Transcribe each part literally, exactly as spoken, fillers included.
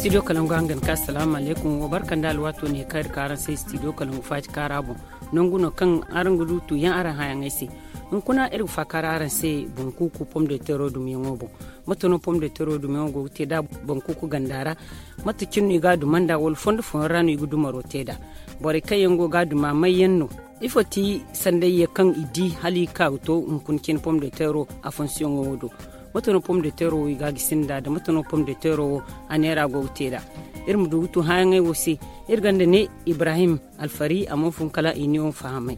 Studio kalangu hangan ka asalaamu alaykum, wa barka nda alwaato ne kaŋ iri ka araŋ se studio kalangu faaji kaara boŋ. Nangu no kaŋ araŋ ga du tuuyaŋ araŋ hããyaŋey se. Hunkuna iri ga faakar araŋ se bankuuku pom de tero dumiyaŋo boŋ. Mate no pom de tero dumiyaŋo go ga te nd'a bankuuku ganda ra? Mate cine no i ga a duma nd'a wala fondo fooyaŋ ra no i ga dumaro te nd'a? Borey kaŋ yaŋ go ga a duma may yaŋ no? Ifo ti sanday ye kaŋ i di hala i ga ka ga to hunkuna cine pom de tero a fonsiyoŋo wo do? Mate no pom de tero wo i ga a gisi nd'a da mate no pom de tero wo a neera go ga te nd'a? Iri ma du ga tu hããyaŋey wo se. Iri gonda ne ibrahim alfari a mana fun kala i ne wo fahamay.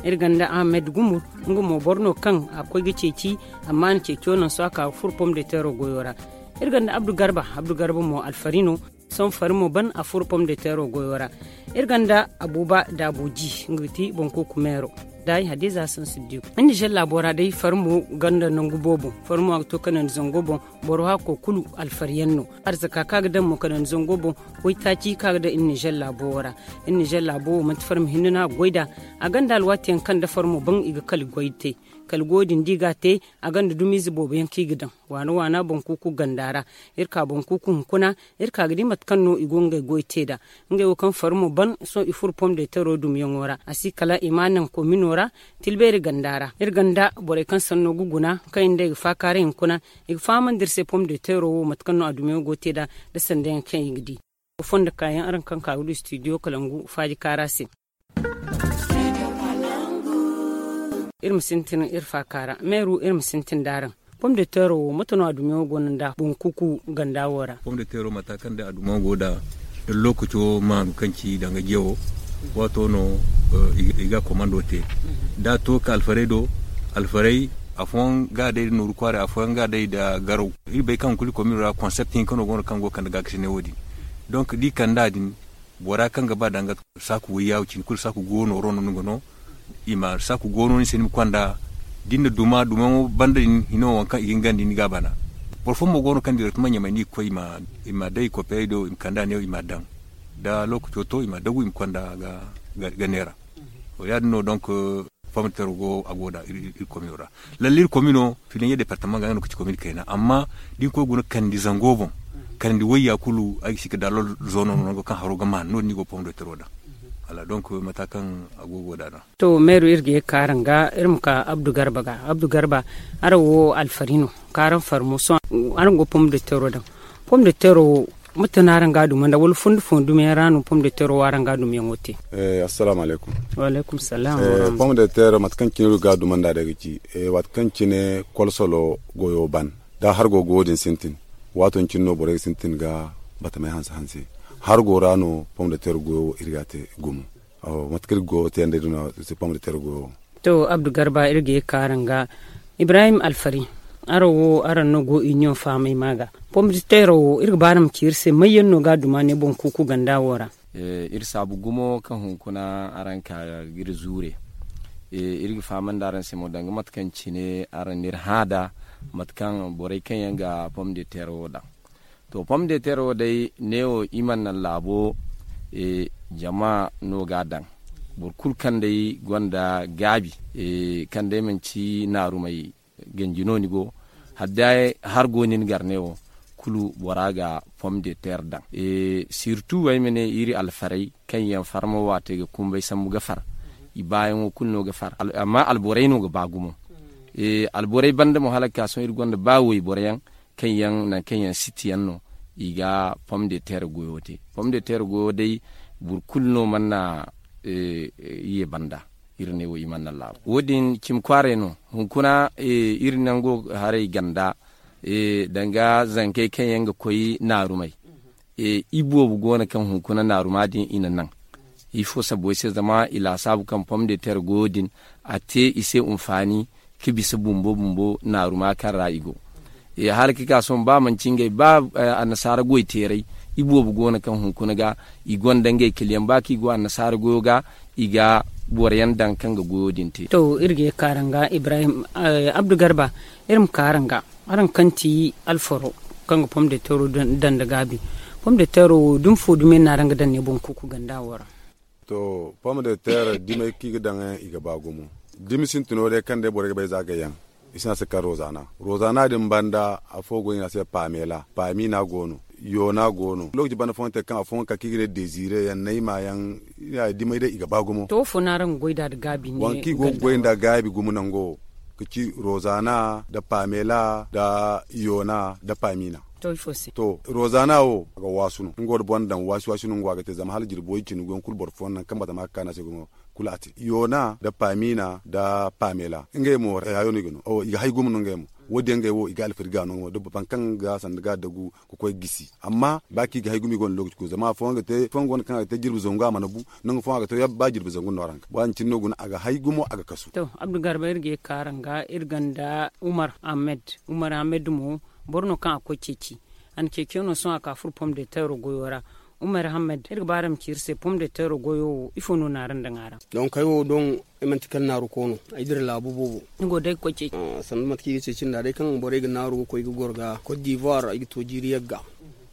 Iri gonda ahmed gumur, nga mo boro no kaŋ a koy ga ceeci, amma a na ceeco naŋ sohõ a ka ga furo pom de tero goyo ra. Iri gonda abdu garba, abdu garba mo alfari no. Sohõ fari mo ban a furo pom de tero goyo ra. Iri gonda abuba daabuji, nga ga ti bankuuku meero. Daayi hadiza sansiddiku iri nizer laabo ra day fari mo gonda nangu boobo. Fari mo a ga to kanandi zango boŋ. Boro hakko kulu alfariyaŋ no. Arzaka kaŋ a ga daŋ mo kanandi zango boŋ. Waytaaci kaŋ a ga daŋ iri nizer laabo wo ra. Iri nizer laabo wo manti fari ma hinne no a ga goy nd'a. A gonda alwaati yaŋ kaŋ da fari mo ban i ga kala goy te. Kala goyo din da i ga a te, a gonda dumiize boobo yaŋ kaŋ i ga daŋ waana waana bankuuku ganda ra. Iri ka bankuuku hunkuna, iri ka ga di mate kaŋ no i go ngey goy te nd'a. Ngey wo kaŋ fari mo ban sohõ i furo pom de tero dumiyaŋo ra a si kala i ma a naŋ komino ra. Tilbeeri ganda ra iri gonda borey kaŋ sanno ga guna kaŋ i nda i ga faakaaray hunkuna. I ga fahamandi iri se pom de tero wo mate kaŋ no a dumiyaŋo go ga te nd'a nda sanda yaŋ kaŋ i ga di. Fondo kaayaŋ araŋ kaŋ ka ga du studio kalangu faaji kaara se. Iri ma sintin iri faaka ra meeru iri ma sintin nd'araŋ. Pom de tero wo mate no a dumiyaŋo go no nd'a bankuuku ganda wo ra? Pom de tero mata kaŋ day a dumiyaŋo go nd'a da lookaco maanu kaŋ ci danga jewo. Waato no i ga komando te da a to ka alfaray do. Alfaray afooyaŋ ga day da nooru kwaaray afooyaŋ ga day da garaw. Iri bay kaŋ kulu komino ra konsept hinka no go no kaŋ go ga kande gaakasinay wo- din. Donk da i kand'a din bora kaŋ ga ba danga saaku wayyaawo cine kulu saaku goono ro no ni ga no. I ma saaku goono ni se ni ma konda da ni na duma dumayaŋo banda din hino waŋ kaŋ i ga ingandi ni ga a bana. Boro fooyaŋ mo go no kaŋ direktama ɲamay no i ga koy i ma day i kopeerey do i ma kand'a neewo i ma a daŋ. Da lookaco to i ma a dagu i ma konda ga neera. To ya- din no donk pom de tero go a go nd'a iri komino ra. Lalle iri komino filaɲe departama ga nga no ga ci komino kayna amma da ni koy guna kandi zango boŋ kandi wayya kulu ay ga si ga daalol zoono no nango kaŋ haro ga maan no- din ni go pom de tero daŋ. Wala donk mata kaŋ a go go nd'a no. To meeru iri ga ye ga ka araŋ ga iri ma ka abdu garba ga abdu garba. Araŋ wo alfari no ka araŋ fari mo sohõ araŋ go pom de tero daŋ. Pom de tero wo mate no araŋ ga a duma nd'a wala fondo fooyaŋ dumiyaŋ ra no pom de tero wo araŋ ga a dumiyaŋo te? Assalaamu alaykum. Pom de tero mate kaŋ cine iri ga a duma nd'a day ga ci waati kaŋ cine kolsolo goyo ban da hargo goyo din sintin. Waato din cine no borey ga sintin ga batamey hanse hanse. Hargo ra no pom de tero goyo wo iri ga a te gumo. Mate kaŋ iri ga goyo te yaŋ day din no a si pom de tero goyo wo. To abdu garba iri ga ye ga ka araŋ ga ibrahim alfari. Araŋ wo araŋ no go iniyoŋ fahamay ma ga pom de tero wo iri ga ba araŋ ma ci iri se may yaŋ no ga a duma ne boŋ kuuku ganda wo ra? Iri saabu gumo kaŋ hunkuna araŋ ka ga iri zuure. Iri ga fahamandi araŋ se mo danga mate kaŋ cine araŋ n'iri hã nd'a mate kaŋ borey kaŋ yaŋ ga pom de tero wo daŋ. To pom de tero wo day neewo i mana naŋ laabo jama no ga a daŋ. Boro kulu kaŋ day gonda gaabi kaŋ day manci naarumay ganji no ni go hala day har go nin gar neewo kulu bora ga pom de terre daŋ. Sirtu ay ma ne iri alfarey kaŋ yaŋ farma waatey ga kumbay sambu ga far. I baayaŋo kulu no ga far amma alborey no ga ba gumo. Alborey banda mo hala ga ka sohõ iri gonda ba wayboro yaŋ kaŋ yaŋ nangu kaŋ yaŋ siti yaŋ no i ga pom de terre goyo te. Pom de terre goyo day boro kulu no mana ye banda. Iri ne wo i mana naŋ laabo wo- din cimi kwaaray no. Hunkuna iri nango haray ganda danga zankey kaŋ yaŋ ga koy naarumey. I boobo go no kaŋ hunkuna naaruma din i na naŋ. Ifo sabo se zama i laasaabu kaŋ pom de terre goyo din a te i se hunfaani ka bisa bumbo bumbo naaruma kaŋ ra i go. Hala ka ka sohõ ba manci ngey ba annasaara goyteeray i boobo go no kaŋ hunkuna ga i gonda ngey kiliyaŋ ba kaŋ i go annasaara goyo ga i ga boro yaŋ daŋ kaŋ ga goyo din te. To iri ga ye ga ka araŋ ga ibrahim abdu garba. Iri ma ka araŋ ga araŋ kaŋ ti alfaro kaŋ ga pom de tero daŋ da gaabi. Pom de tero wo dumi fo dumi yaŋ no araŋ ga daŋ ne boŋ kuuku ganda wo ra? To pom de terre dimey kaŋ i ga daŋ yaŋ i ga ba gumo. Dimi sintino day kaŋ day borey ga bay za gay yaŋ. I si ne a se kala rozana. Rozana din banda afo go i ne a se paamela paami no a go no. Yoona go no lookaci banda fooyaŋ te kaŋ afooyaŋ ka kaŋ i ga ne dezire yaŋ nayma yaŋ. Dimay day i ga ba gumo. To wo fo no araŋ ga goy nd'a nda gaabi ne? Waŋ kaŋ i go ga goy nd'a gaabi gumo nango, ga ci rozana nda pamela nda yoona nda pamina. To ifo se? To, rozana wo a ga waasu no nga wo da boro na daŋ waasi waasi no nga wo a ga te zama hala jirbi way cindi go yaŋ kulu boro fooyaŋ naŋ kaŋ batama ga kaanu a se gumo. Kulu a te yoona nda pamina nda pamela ngey mo rayayo no i ga no i ga hay gumo no ngey mo. Wo- din yaŋ ngey wo i ga alfari ga no nga mo da boro fooyaŋ kaŋ ga sanda ga dagu ga koy gisi. Amma ba kaŋ i ga hay gumo i gonda lookaci kulu zama afooyaŋ ga te afooyaŋ go no kaŋ a ga te jirbi zangu a mana bu. Nangu fooyaŋ a ga te ba jirbi zangu no a ra nga ba din cine no guna a ga hay gumo a ga kasu. To, abdu garba iri ga ye ga kaara nga iri ganda umar ahmed. Umar ahmed mo boro no kaŋ a koy ceeci. A na ceeciyaŋ no sohõ a ka furo pom de teero goyo ra. Umar ahmed iri ga ba araŋ ma ci iri se pom de teero goyo wo ifo no na araŋ daŋ a ra? Donk ay wo doŋ ay manti kala naaru ko no. Ay dira laabu boobo. Ni go day ga koy ceeci? Sanda mate kaŋ i ga ceeci nd'a day kaŋ borey ga naaru ga koy ga goro ga kot divoire ay ga to jiiri yagga.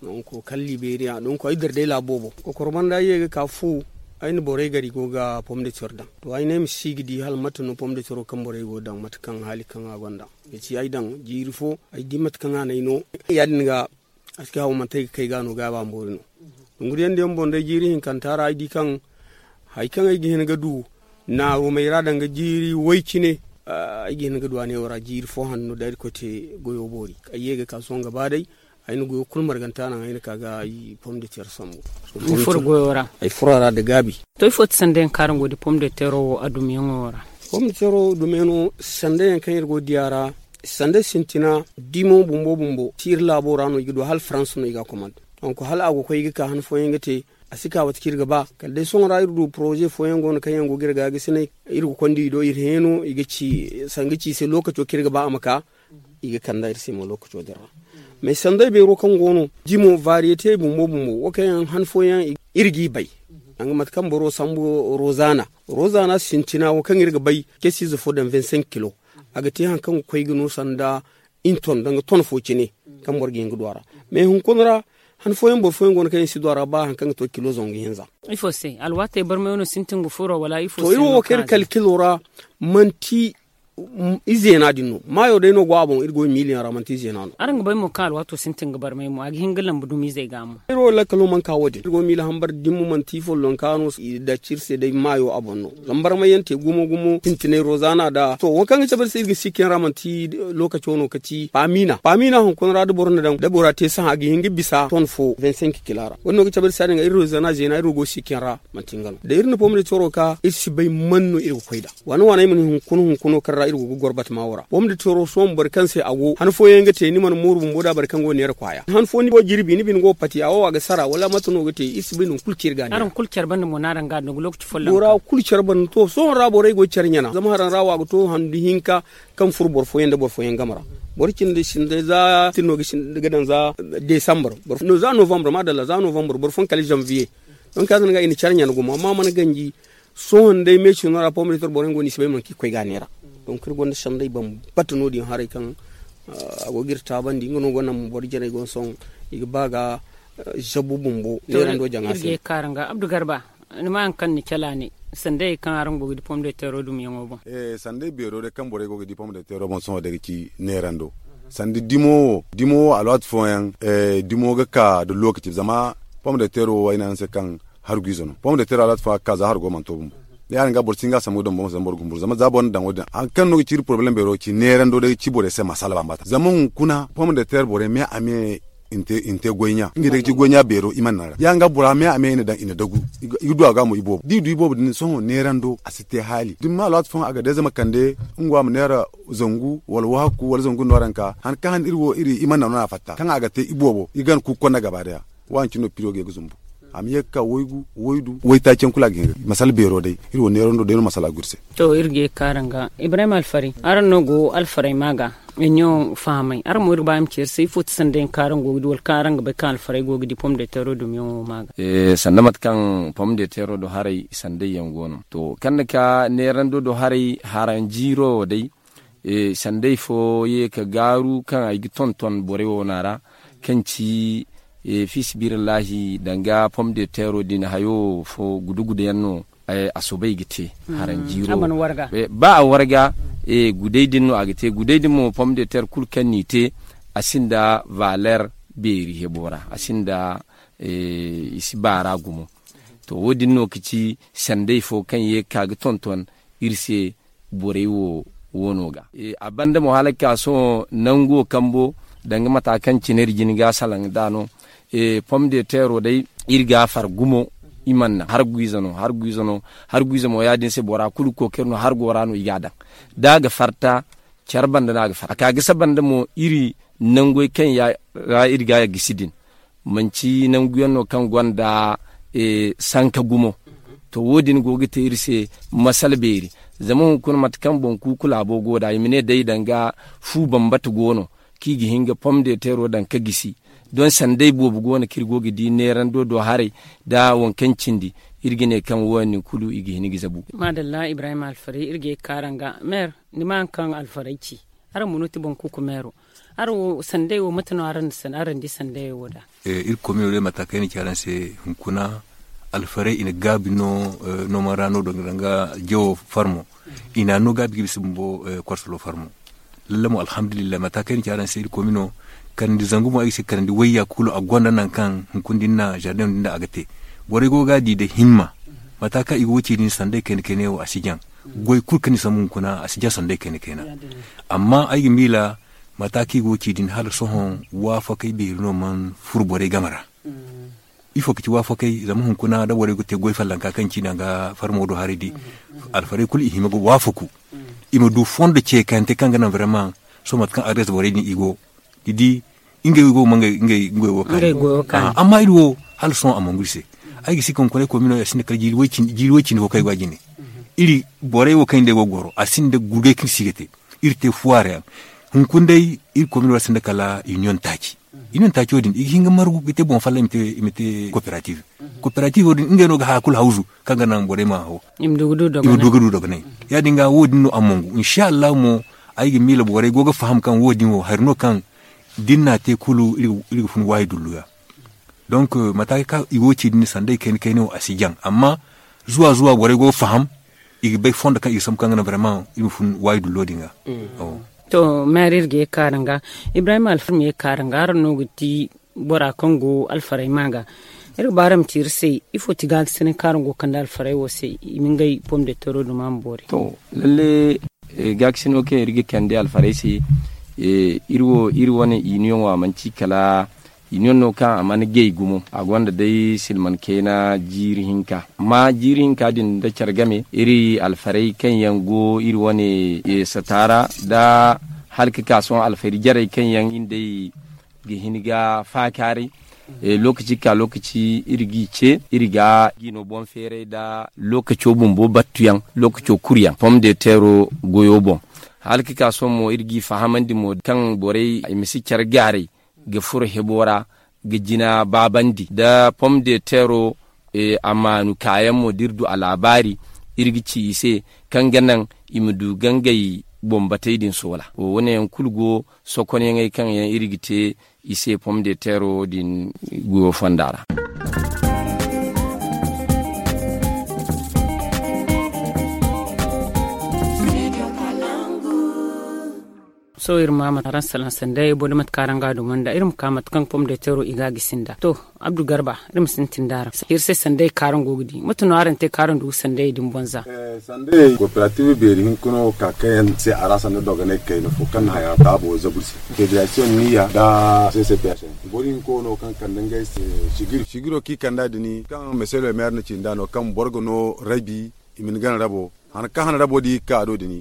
Donk kala liberiya donk ay dira day laabu boobo kokoro banda ay ye ga ka fu. Ay na borey gari go ga pom de teero daŋ to ay ne ay ma si ga di hala mate no pom de teero kaŋ borey go ga daŋ mate kaŋ haali kaŋ a gonda. Ga ci ay daŋ jiiri fo ay di mate kaŋ a n'ay no. Ya- din ga a si ga haw manti ay ga kay ga no gaabi a ma boori no. Dunguriyaŋ diyaŋ boŋ day jiiri hinkanta ra ay di kaŋ hari kaŋ ay ga hin ga du naarumey ra danga jiiri way cine. Ay ga hin ga du a neewo ra jiiri fo hanno da irkoy te goyo boori ay ye ga ka sohõ ga ba day. Ay na goyo kulu marganta naŋ ay na ka ga ay pom de teero sambu. Ay furo a ra nda gaabi. To ifo ti sanda yaŋ kaŋ araŋ go ga di pom de teero wo a dumiyaŋo ra? Pom de teero dumiyaŋo sanda yaŋ kaŋ iri go ga di a ra sanda sintina dimo bumbo bumbo ti iri laabo ra no i ga du hala farans no i ga a komande. Donk hala a go ga koy i ga ka han fooyaŋ ga te a si ka mate kaŋ iri ga ba kala day sohõ ra iri du poroze fooyaŋ go no kaŋ yaŋ go ga iri ga ga sinay. Iri ga konda i do iri heeno i ga ci sanga ci i se lookaco kaŋ iri ga ba a ma ka. I ga kand'a iri se mo lookaco din ra. Mais sanday beero kaŋ go no dimo variyete bumbo bumbo wo kaŋ yaŋ han fooyaŋ iri g'i bay. Danga mate kaŋ boro sambu rozana rozana sintina wo kaŋ iri ga bay casiize fo daŋ vingt cinq kilo. A ga te hari kaŋ ga koy ga no sanda inton danga ton fo cine kaŋ boro ga hin ga du a ra. Mais hunkuna ra han fooyaŋ boro fooyaŋ go no kaŋ yaŋ si du a ra ba hari kaŋ ga to kilo zangu hinza. Ifo se alwaatey barmayo no sintin ga furo wala ifo se? To iri wo kaŋ iri kalkilo ra manti izeena din no maayo day no go a boŋ iri go miiliyaŋ ra manti izeena no. Araŋ ga bay mo kaŋ alwaato sintin ga barmay mo a ga hin ga lambu dumizey ga mo. Iri wo lakkalo mana ka wo- din iri go miila hambar dimmo manti follonka no i daci iri se day maayo a boŋ no. Zama barmay yaŋ te gumo gumo sintinay rozaana da to wo kaŋ ga cabe iri se iri ga sikkayaŋ ra manti lookaco no ka ci paamiina paamiina hunkuna ra da boro na daŋ da bora te sahã a ga hin ga bisa ton fo vingt cinq kila ra wo- din no ga cabe iri se ya- din ga iri rozaana zeena iri wo go sikkayaŋ ra. Manti nga no da iri na pom de toro ka iri si bay man no iri ga koy nd'a. Waana waana ay mana hunkuna hunkuna kaŋ ra iri go ga goro batama wo ra pom de toro sohõ boro kaŋ se a go han fooyaŋ ga te ni mana mooru bumbo nd'a boro kaŋ go ga neera kwaaya han fo ni go jirbi ni bine go ga pati a wo a ga sara wala mate no ga te iri si bay nangu kulu kaŋ iri ga a neera. Bora kulu care banda to sohõ ra borey go ga care ɲana zama haraŋ ra wo a ga to handu hinka kaŋ furo boro fooyaŋ nda boro fooyaŋ game ra. Boro cindi sinda za tino ga daŋ za desambar za novambar maadalla za novambar boro fooyaŋ kala zanviye. Donk ya- din ga i na care ɲana gumo amma a mana ganji. Sohõ nda ay meecino ra pom de toro boro yaŋ go no i si bay mana kaŋ i ga koy ga a neera. Donk iri gonda sanday bambata no- din haray kaŋ a go ga iri taabandi nga no gonda boro jarey go no sohõ i ga ba ga zabu bumbo neerando jaŋa se. Abdu garba ni ma hari kaŋ ni cala ne sanday kaŋ araŋ go ga di pom de toro dumiyaŋo boŋ? Sanday beero day kaŋ borey go ga di pom de toro boŋ sohõ day ga ci neerando. Sanda dimo wo dimo wo alwaati fooyaŋ dimo ga ka nda lookaci zama pom de tero wo ay ne araŋ se kaŋ hargu ize no pom de tero alwaati fooyaŋ a ga ka za hargo mana to bumbo. Ya- din ga boro si hin ga a sambu ga daŋ boŋ zama boro ga humburu zama za boro na daŋ wo- din hari kaŋ no ga ci iri porobalem beero ga ci neerando day ga ci borey se masala bambata zama hunkuna pom de tero borey me a me i na te goy ɲa ngey day ga ci goy ɲa beero i mana naŋ ra ya- din ga bora me a me i na daŋ i na dagu. I ga du a ga mo iboobo da i du iboobo din sohõ neerando a si te haali da ni ma alwaati fooyaŋ a ga day zama kande nga wo a ma neera zangu wala wahakku wala zangu nooranka han kaŋ han iri wo iri i mana naŋ no a fatta kaŋ a ga te iboobo i ga gana kuuku konda gaba daya. Waani cine no piro ga ye ga zumbu a ma ye ga ka waygu waydu waytaaci yaŋ kulu a ga hin ga masala beero day iri wo neerando day no masala go iri se. To iri ga ye ga ka araŋ ga ibrahim alfaray araŋ no go alfaray ma ga. Ɲo fahamay araŋ mo iri ga ba iri ma ci iri se ifo ti sanday yaŋ kaŋ araŋ go ga di wala kaŋ araŋ ga bay kaŋ alfaray go ga di pom de tero dumiyaŋo ma ga? Sanda mate kaŋ pom de tero do haray sanday yaŋ go no to kaŋ ni ka neerando do haray haranjiiro wo day. Sanday fo ye ka gaaru kaŋ ay ga tonton borey wo no a ra kaŋ ci fi sabilillahi danga pom de tero din hayo fo gudu gudu yaŋ no. A soobay ga te haranjiiro ba a warga. Guday din no a ga te guday din mo pom de tero kulu kaŋ n'i te a sinda valer. beeri hebo ra a sinda i si baara gumo. To wo- din no ka ci sanday fo kaŋ ye ga ka ga tonton iri se borey wo woono ga. A banda mo hala ga ka sohõ nango kambo danga mata kaŋ cine iri jina ga salaŋ nd'a no. Pom de teero day iri ga a far gumo. I mana naŋ hargu ize no hargu ize no hargu ize mo ya- din se bora kulu ga kookari no hargo ra no i ga a daŋ. Da a ga farta care banda no a ga farta a ka gisa banda mo iri nangoy kaŋ ya ra iri ga a gisi din manci nangu yaŋ no kaŋ gonda sanka gumo. To wo- din go ga te iri se masala beeri. Zama hunkuna mate kaŋ boŋ kuuku laabo go nd'a i ma ne day danga fu bambata go no kaŋ i ga hin ga pom de teero daŋ ga gisi. Doŋ sanday boobo go no kaŋ iri go ga di neerando do haray nda waŋ kaŋ cindi iri ga ne kaŋ wo- din kulu i ga hin ga zabu. Maadalla ibrahim alfaray iri ga ye ga ka araŋ ga meer. Ni ma haŋ kaŋ alfaray ci araŋ ma no ti boŋ kuuku meero. Araŋ wo sanday wo mate no araŋ na di sanday wo nd'a? Iri komino day mata kaŋ ay na ci araŋ se hunkuna alfaray i na gaabi no. Noman ra no danga jawo farmo i na no gaabi ga bisa bumbo. Korsolo farmo lalle mo alhamdulillahi mata kaŋ ay na ci araŋ se iri komino. Karandi zangu mo ay ga se karandi wayya kulu a gonda nangu kaŋ hunkuna da ni na zardeŋ din da a ga te. Borey go ga a di da himma mata kaŋ i go ga ci din sanday kayna kayna wo a si jaŋ. Goy kulu kaŋ ni sambu hunkuna a si jaŋ sanday kayna kayna. Amma ay ga miila mata kaŋ i go ga ci din hala sohõ waafakey beeri no mana furo borey game ra. Ifo ga ci waafakey zama hunkuna da borey ga te goy fallanka kaŋ ci danga farmo do haray di alfarey kulu i hima ga waafaku i ma du fondo ceekante kaŋ ga naŋ vraiment. Sohõ mate kaŋ adres borey din i go ni di ngey wo ma ngey goyo wo kaani. Amma iri wo hala sohõ a mangu iri se. Ay ga si kaŋ koney komino a sinda kala jiiri way cindi fo kaŋ ay go a jine. Iri borey wo kaŋ iri nd'ey go ga goro a sinda gurgay kaŋ si ga te. Iri te fuwaara yaŋ hunkuna day iri komino ra sinda kala union taaci. Union taaco din i ga hin ga margu ga te boŋ falla i ma te kooperative. Kooperative din ngey no ga haya kulu hawzu kaŋ ga naŋ borey ma haw i ma du ga du dogonay. Ya- din ga wo- din no a mongu insa allahu mo ay ga miila borey go ga faham kaŋ wo- din wo hari no kaŋ da ni n'a te kulu iri ga fun waayi dullu ga. Donc mata kaŋ i go ga ci din sanday kayna kayna wo a si jaŋ amma zuwa zuwa borey go ga faham i ga bay fondo kaŋ i ga sambu kaŋ ga naŋ vraiment iri ma fun waayi dullo din ga. To maire iri ga ye ga ka araŋ ga ibrahim alfar ma ye ga ka araŋ ga araŋ no ga ti bora kaŋ go alfaray ma ga. Iri ga ba araŋ ma ci iri se ifo ti gaakasinay kaŋ araŋ go ga kande alfaray wo se i ma ngey pom de tero duma ma boori? To lalle gaakasino kaŋ iri ga kande alfaray se iri wo iri wane union wo a mana ci kala union no kaŋ a mana gay gumo a gonda day silman kayna jiiri hinka amma jiiri hinka din da care game iri alfaray kaŋ yaŋ go iri wane sataara da hala ka ka sohõ alfari jarey kaŋ yaŋ iri nd'ey ga hin ga faakaaray. Lookaci ga ka lookaci iri g'i ce iri ga g'i no boŋ feeray nda lookaco bumbo battuyaŋ lookaco kuru yaŋ pom de teero goyo boŋ. Hala ka ka sohõ mo iri g'i fahamandi mo kaŋ borey i ma si care gaaray ga furo hebo ra ga jina baabandi nda pom de teero. A maanu kaayaŋ mo da iri du a laabaari iri ga ci i se kaŋ ga naŋ i ma du ga ngey boŋ batey din soola wo- wane yaŋ kulu go sokonyaŋey kaŋ yaŋ iri ga te i se pom de teero din goyo fonda ra. Sohõ iri ma mate araŋ salaŋ sanday boro da mate kaŋ araŋ ga a dumanda iri ma ka mate kaŋ pom de teero i ga a gisi nd'a to abdu garba iri ma sintin da araŋ iri se sanday kaŋ araŋ go ga di mate no araŋ te kaŋ araŋ du ga sanday din boŋ za? Sanday kooperative beeri hinka no ka kaŋ yaŋ se a ra sanda dogonay kayna fo kaŋ na haya taabo zabu iri se federasiyoŋ niya nda ccps. Boro hinka wo no kaŋ kande ngey se sigiro kaŋ i kand'a din kaŋ meselo meera na ci nd'a no kaŋ boro ga no rabi i ma ni gana rabo. Hana kaŋ hana rabo da i ga ka a do din i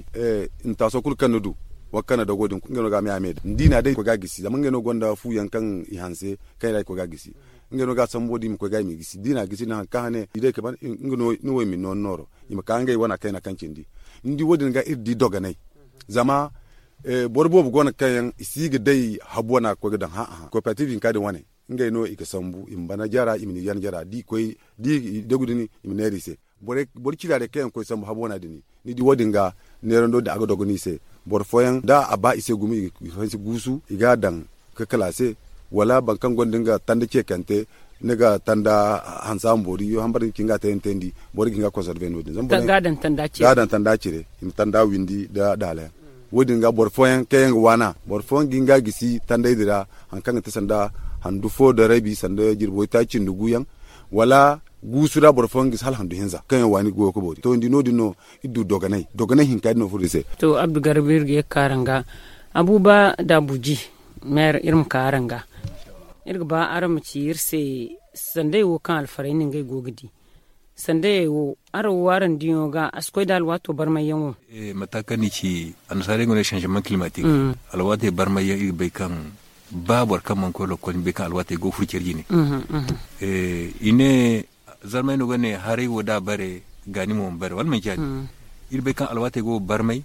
ma taaso kulu kaŋ ni du wala kaŋ na dogo din ngey no ga a me a me da ni di na day koy ga a gisi zama ngey no gonda fu yaŋ kaŋ i hanse kaŋ i ra i koy ga a gisi. Ngey no ga a sambu wo din i ma koy ga i m'i gisi da i na a gisi din hana kaŋ hane i day ka ban nga no ni wo i ma ni nooro nooro i ma ka ngey wana kayna kaŋ cindi. Ni di wo- din ga iri di dogonay zama boro boobo go no kaŋ yaŋ i si ga day habu wana ga koy ga daŋ hã hã kooperative hinka din wane. Ngey no i ga sambu i ma bana jara i ma ni yan jara da i koy da i dagu din i ma neera i se. Boro ciraarey kaŋ yaŋ ga koy sambu habu wana din ni di wo- din ga neerando din a ga dogo no i se. Boro fooyaŋ da a ba i se gumo i ga hanse guusu i ga a daŋ ga kala a se. Wala boro kaŋ gonda nga tanda ceekante ni ga tanda hansa ma boori hambar din ga ci nga tayantayandi boro ga hin ga a konserve no- din zama boro ga a daŋ tanda cire i ma tanda windi nda daala yaŋ. Wo- din ga boro fooyaŋ kaŋ yaŋ ga waana boro fooyaŋ ga hin ga a gisi tandey din ra hari kaŋ ga te sanda Handu fo da rabi sanda jirbi waytaaci nda guyaŋ, wala guusu ra boro fooyaŋ ga si hala handu hinza kaŋ yaŋ waani ga goyo ga boori to ni di no- din no. Iri du dogonay dogonay hinka din no furo iri se. To abdu garba iri ga ye ga ka araŋ ga. Abuba da abuji, meer iri ma ka araŋ ga. Iri ga ba araŋ ma ci iri se sanday wo kaŋ alfaray no ngey go ga di. Sandayey wo, araŋ wo araŋ diyaŋo ga a si koy nda alwaato barmayyaŋo? Mate kaŋ ni ci, annasaarey ga ne sanzaman kilimatik. Alwaatey barmayyaŋ iri ga bay kaŋ ba boro kaŋ mana koy lokkol ni bay kaŋ alwaatey go ga furo care jine. I ne, zarmay no ga ne haray wo da a bare, gaani mo ma bare wala manci ya- din? Iri bay kaŋ alwaatey go ga barmay.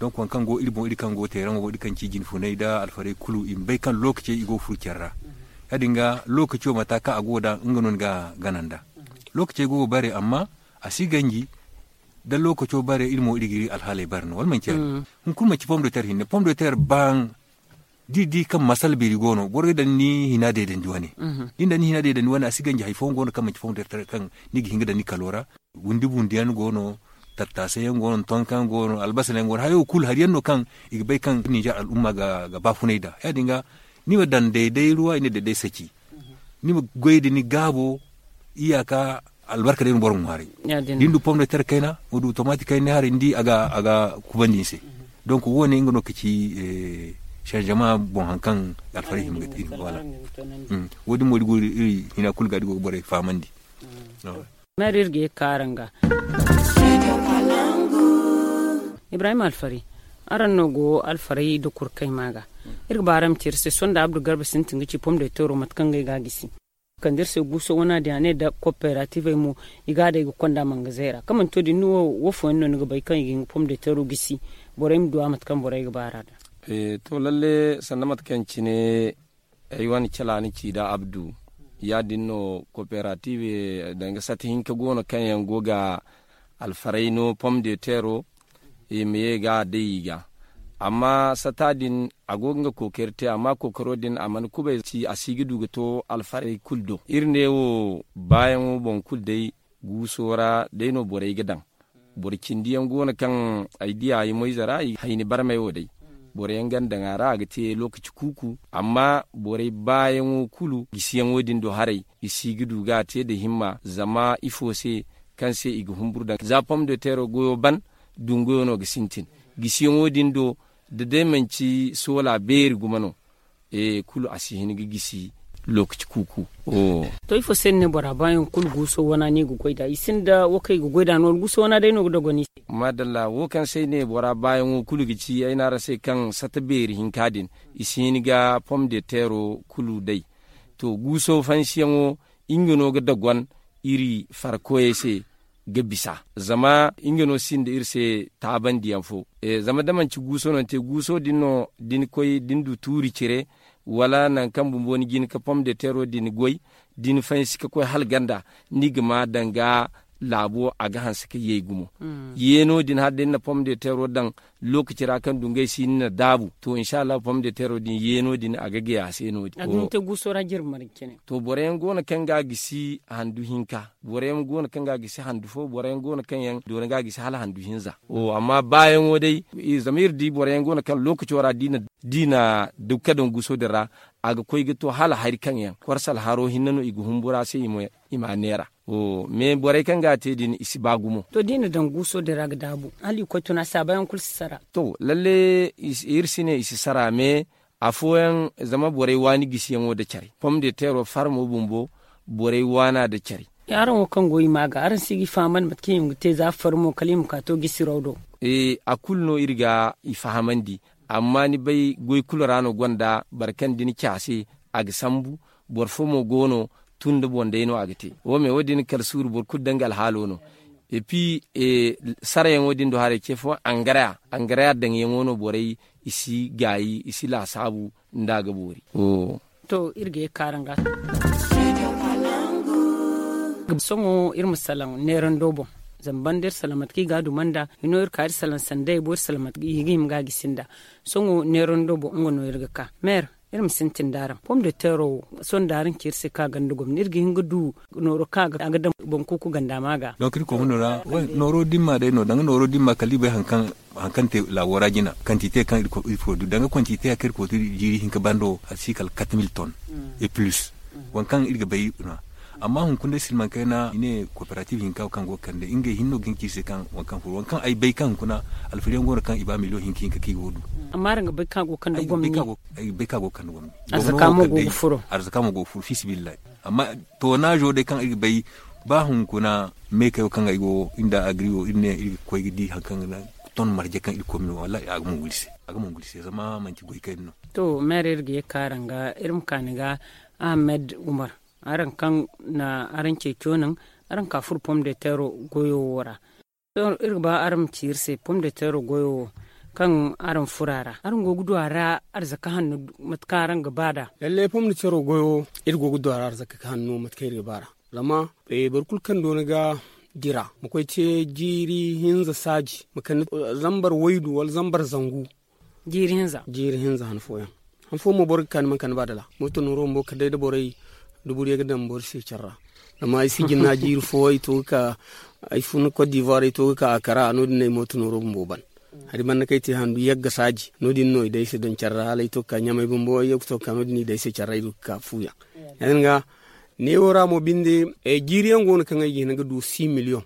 Donk waŋ kaŋ go iri boŋ iri kaŋ go teeraŋo boŋ iri kaŋ ci jinfunay nda alfarey kulu i ma bay kaŋ lookacey i go ga furo care ra. Ya- din ga lookaco mate kaŋ a go ga daŋ nga no ni ga gana nd'a. Lookacey go ga bare amma a si ganji. Da lookaco bare iri mo iri ga iri alhaaley bare no wala manci ya- din? Hunkuna manci pom de ter hinne pom de ter baaŋ. Da iri di kaŋ masala beeri go no boro ga daŋ ni hina deedandi wane. Da ni daŋ ni hina deedandi wane a si ganji hari fooyaŋ go no kaŋ manci pom de ter kaŋ ni ga hin ga daŋ ni kalo ra. Gundi bundiyaŋ go no, tattaasa yaŋ go no tonka yaŋ go no albasa yaŋ go no hayo kulu hari yaŋ no kaŋ i ga bay kaŋ ninzeer al'umma ga baafunay nd'a. Ya- din ga ni ma daŋ dayday ruwa i ne dayday saci. Ni ma goy nda ni gaabo, iyaaka albarka day no boro ga ŋwaaray. Da ni du pom de ter kayna ma du tomaati kayna ni haray ni di a ga kubandi ni se. Donk wo- ne nga no ga ci sanzama boŋ hari kaŋ alfaray hima ga te. Wo- din mo iri go iri hina kulu ga da i go ga borey fahamandi. Meera iri ga ye ga ka araŋ ga. Ibrahim alfari, araŋ no go alfaray da kurkay ma ga. Iri ga ba araŋ ma ci iri se sohõ nda abdu garba sintin ga ci pom de teero mate kaŋ ngey ga a gisi. Kande iri se guuso wana din a ne nda kooperativey mo i ga a day ga konda mangazeera kaŋ manti wo- din ni wo wo fooyaŋ no ni ga bay kaŋ i ga hin ga pom de teero gisi? Borey ma duw'a mate kaŋ borey ga ba a ra da. To lalle sanda mate kaŋ cine ay wane cala ni ci nda abdu, ya- din no kooperative danga sata hinka go no kaŋ yaŋ go ga alfaray no pom de teero. I ma ye ga a day i ga amma sata din a go ga nga kookari te amma kookaro din a mana kubay ci a si ga du ga to alfaray kulu do iri ne wo baayaŋo boŋ kulu day. Guuso ra day no borey ga daŋ. Boro cindi yaŋ go no kaŋ ay di a i moyze ra hayni barmay wo day. Boro yaŋ ga ni daŋ a ra a ga te lookaci kuuku amma borey baayaŋo kulu gisiyaŋo din do haray i si ga du ga a te nda himma zama ifo se? Kaŋ se i ga humburu daŋ za pom de teero goyo ban dunguyo no ga sintin. Gisiyaŋo din do da day manci soola beeri gumo no. Kulu a si hin ga gisi lookaci kuuku. To ifo se ni ne bora baayaŋ kulu guuso wana no i ga goy nd'a i sinda wo kaŋ i ga goy nd'a no wala guuso wana day no ga dogon i se? Maadalla wo kaŋ se ay ne bora baayaŋo kulu ga ci ay ne araŋ se kaŋ sata beeri hinka din i si hin ga pom de teero kulu day. To guuso fansiyaŋo nga no ga dogon iri farkoyey se ga bisa zama nga no sinda iri se taabandiyaŋ fo. Zama da manci guuso no ni te guuso din no da ni koy da ni du tuuri cire wala nangu kaŋ bumbo ni jin ga pom de teero din goy da ni fansi ga koy hala ganda ni ga ma danga laabo a ga hanse ga yay gumo. Yeeno din hala day ni na pom de teero daŋ lookaci ra kaŋ dungay si ni na daabu to insa allahu pom de teero din yeeno din a ga gay a se no- din. A ga hin ga te guuso ra jirbi marje cine. To boro yaŋ go no kaŋ ga a gisi handu hinka boro yaŋ go no kaŋ ga a gisi handu fo boro yaŋ go no kaŋ yaŋ doona ga a gisi hala handu hinza. Amma baayaŋo day zama iri di boro yaŋ go no kaŋ lookaco ra da i na dukka daŋ guuso din ra a ga koy ga to hala hari kaŋ yaŋ korse alharo hinne no i ga humbura se i ma neera. Mais borey kaŋ ga a te din i si ba gumo. To da i na daŋ guuso din ra ga daabu hala i koy tuna saabayaŋ kulu si sara. To lalle iri si ne i si sara mais afooyaŋ zama borey waani gisiyaŋo nda care pom de teero farmo bumbo borey waana nda care. Araŋ wo kaŋ go i ma ga araŋ si ga i fahamandi mate kaŋ i ma ga te za farmo kala i ma ka to gisiraw do. A kulu no iri ga i fahamandi. Amma ni bay goy kulu ra no gonda boro kaŋ da ni caase a ga sambu. Boro fo mo go no tun nda boŋ day no a ga te wo me wo- din kala suuru boro kulu danga alhaalo no. Epi sarayaŋo din do haray ce fo angaraya angaraya daŋyaŋo no borey i si gaayi i si laasaabu nda a ga boori. To iri ga ye ga kaara nga sohõ iri ma salaŋ neerando boŋ. Zama banda iri salaŋ mate kaŋ i ga a duma nda hino iri ka iri salaŋ sanda i bo iri salaŋ mate kaŋ i ga hima ga a gisi nda. Sohõ neerando boŋ nga no iri ga ka meer. Iri ma sintin da araŋ pom de teero wo. Sohõ da araŋ ci iri se kaŋ a ganda gomni iri ga hin ga du nooro kaŋ a ga daŋ boŋ kuuku ganda ma ga. Donk iri koy huno ra nooro dimma day no danga nooro dimma kala iri bay haŋ kaŋ te laabo ra jina kantite kaŋ iri koy du danga kantite ya kaŋ iri koy du jiiri hinka bando a si kala kat mil ton. Et plus waŋ kaŋ iri ga bay no. Amma hunkuna day silmaŋ kayna i ne kooperative hinka kaŋ go ga kande ngey hinne no ga hin ga ci iri se kaŋ waŋ kaŋ furo waŋ kaŋ ay bay kaŋ hunkuna alfariyaŋ go no kaŋ i ba miliyoŋ hinka hinka kaŋ i go ga du. Amma araŋ ga bay kaŋ a go ga kande gomni? Ay bay kaŋ a go ga kande gomni. Arzaka mo go ga furo. Arzaka mo go ga furo fiisabilillahi. Amma toonaazo day kaŋ iri ga bay ba hunkuna meekayo kaŋ ay go iri nda agri wo iri ne iri ga koy ga di haŋ kaŋ ga ton marje kaŋ iri koy ma no wallahi a ga mongu iri se. A ga mongu iri se zama manti goy kayna no. To meera iri ga ye ga ka araŋ ga iri ma ka ni ga ahamed umar. Araŋ kaŋ na araŋ ceeco naŋ araŋ ka furo pom de teero goyo wo ra. Sohõ iri ga ba araŋ ma ci iri se pom de teero goyo wo kaŋ araŋ furo a ra araŋ go ga du a ra arzaka hanno? Mate kaŋ araŋ ga ba nd'a. Lalle pom de teero goyo wo iri go ga du a ra arzaka hanno mate kaŋ iri ga ba nd'a. Zama boro kulu kaŋ doona ga dira ma koy te jiiri hinza saaji ma kande zambar waydu wala zambar zangu. Jiiri hinza. Jiiri hinza han fooyaŋ han fooyaŋ mo boro ga ka ni mana kande ba dala mooto nooro bumbo kala day da borey duburiyey ga daŋ boro se care ra. Zama ay si jinna jiiri fo ay to ga ka ay fun kot divoire ay to ga ka a kara no- din no ay mooto nooro bumbo ban. Hari banda kaŋ ay te handu yagga saaji no- din no i day ay se daŋ care ra hala ay to ga ka ɲamay bumbo ay to ga ka no- din i day ay se care ra ay du ga ka fuuyaŋ. Ya- din ga neewo ra mo binde jiiri yaŋ go no kaŋ ay ga hin ga du six million.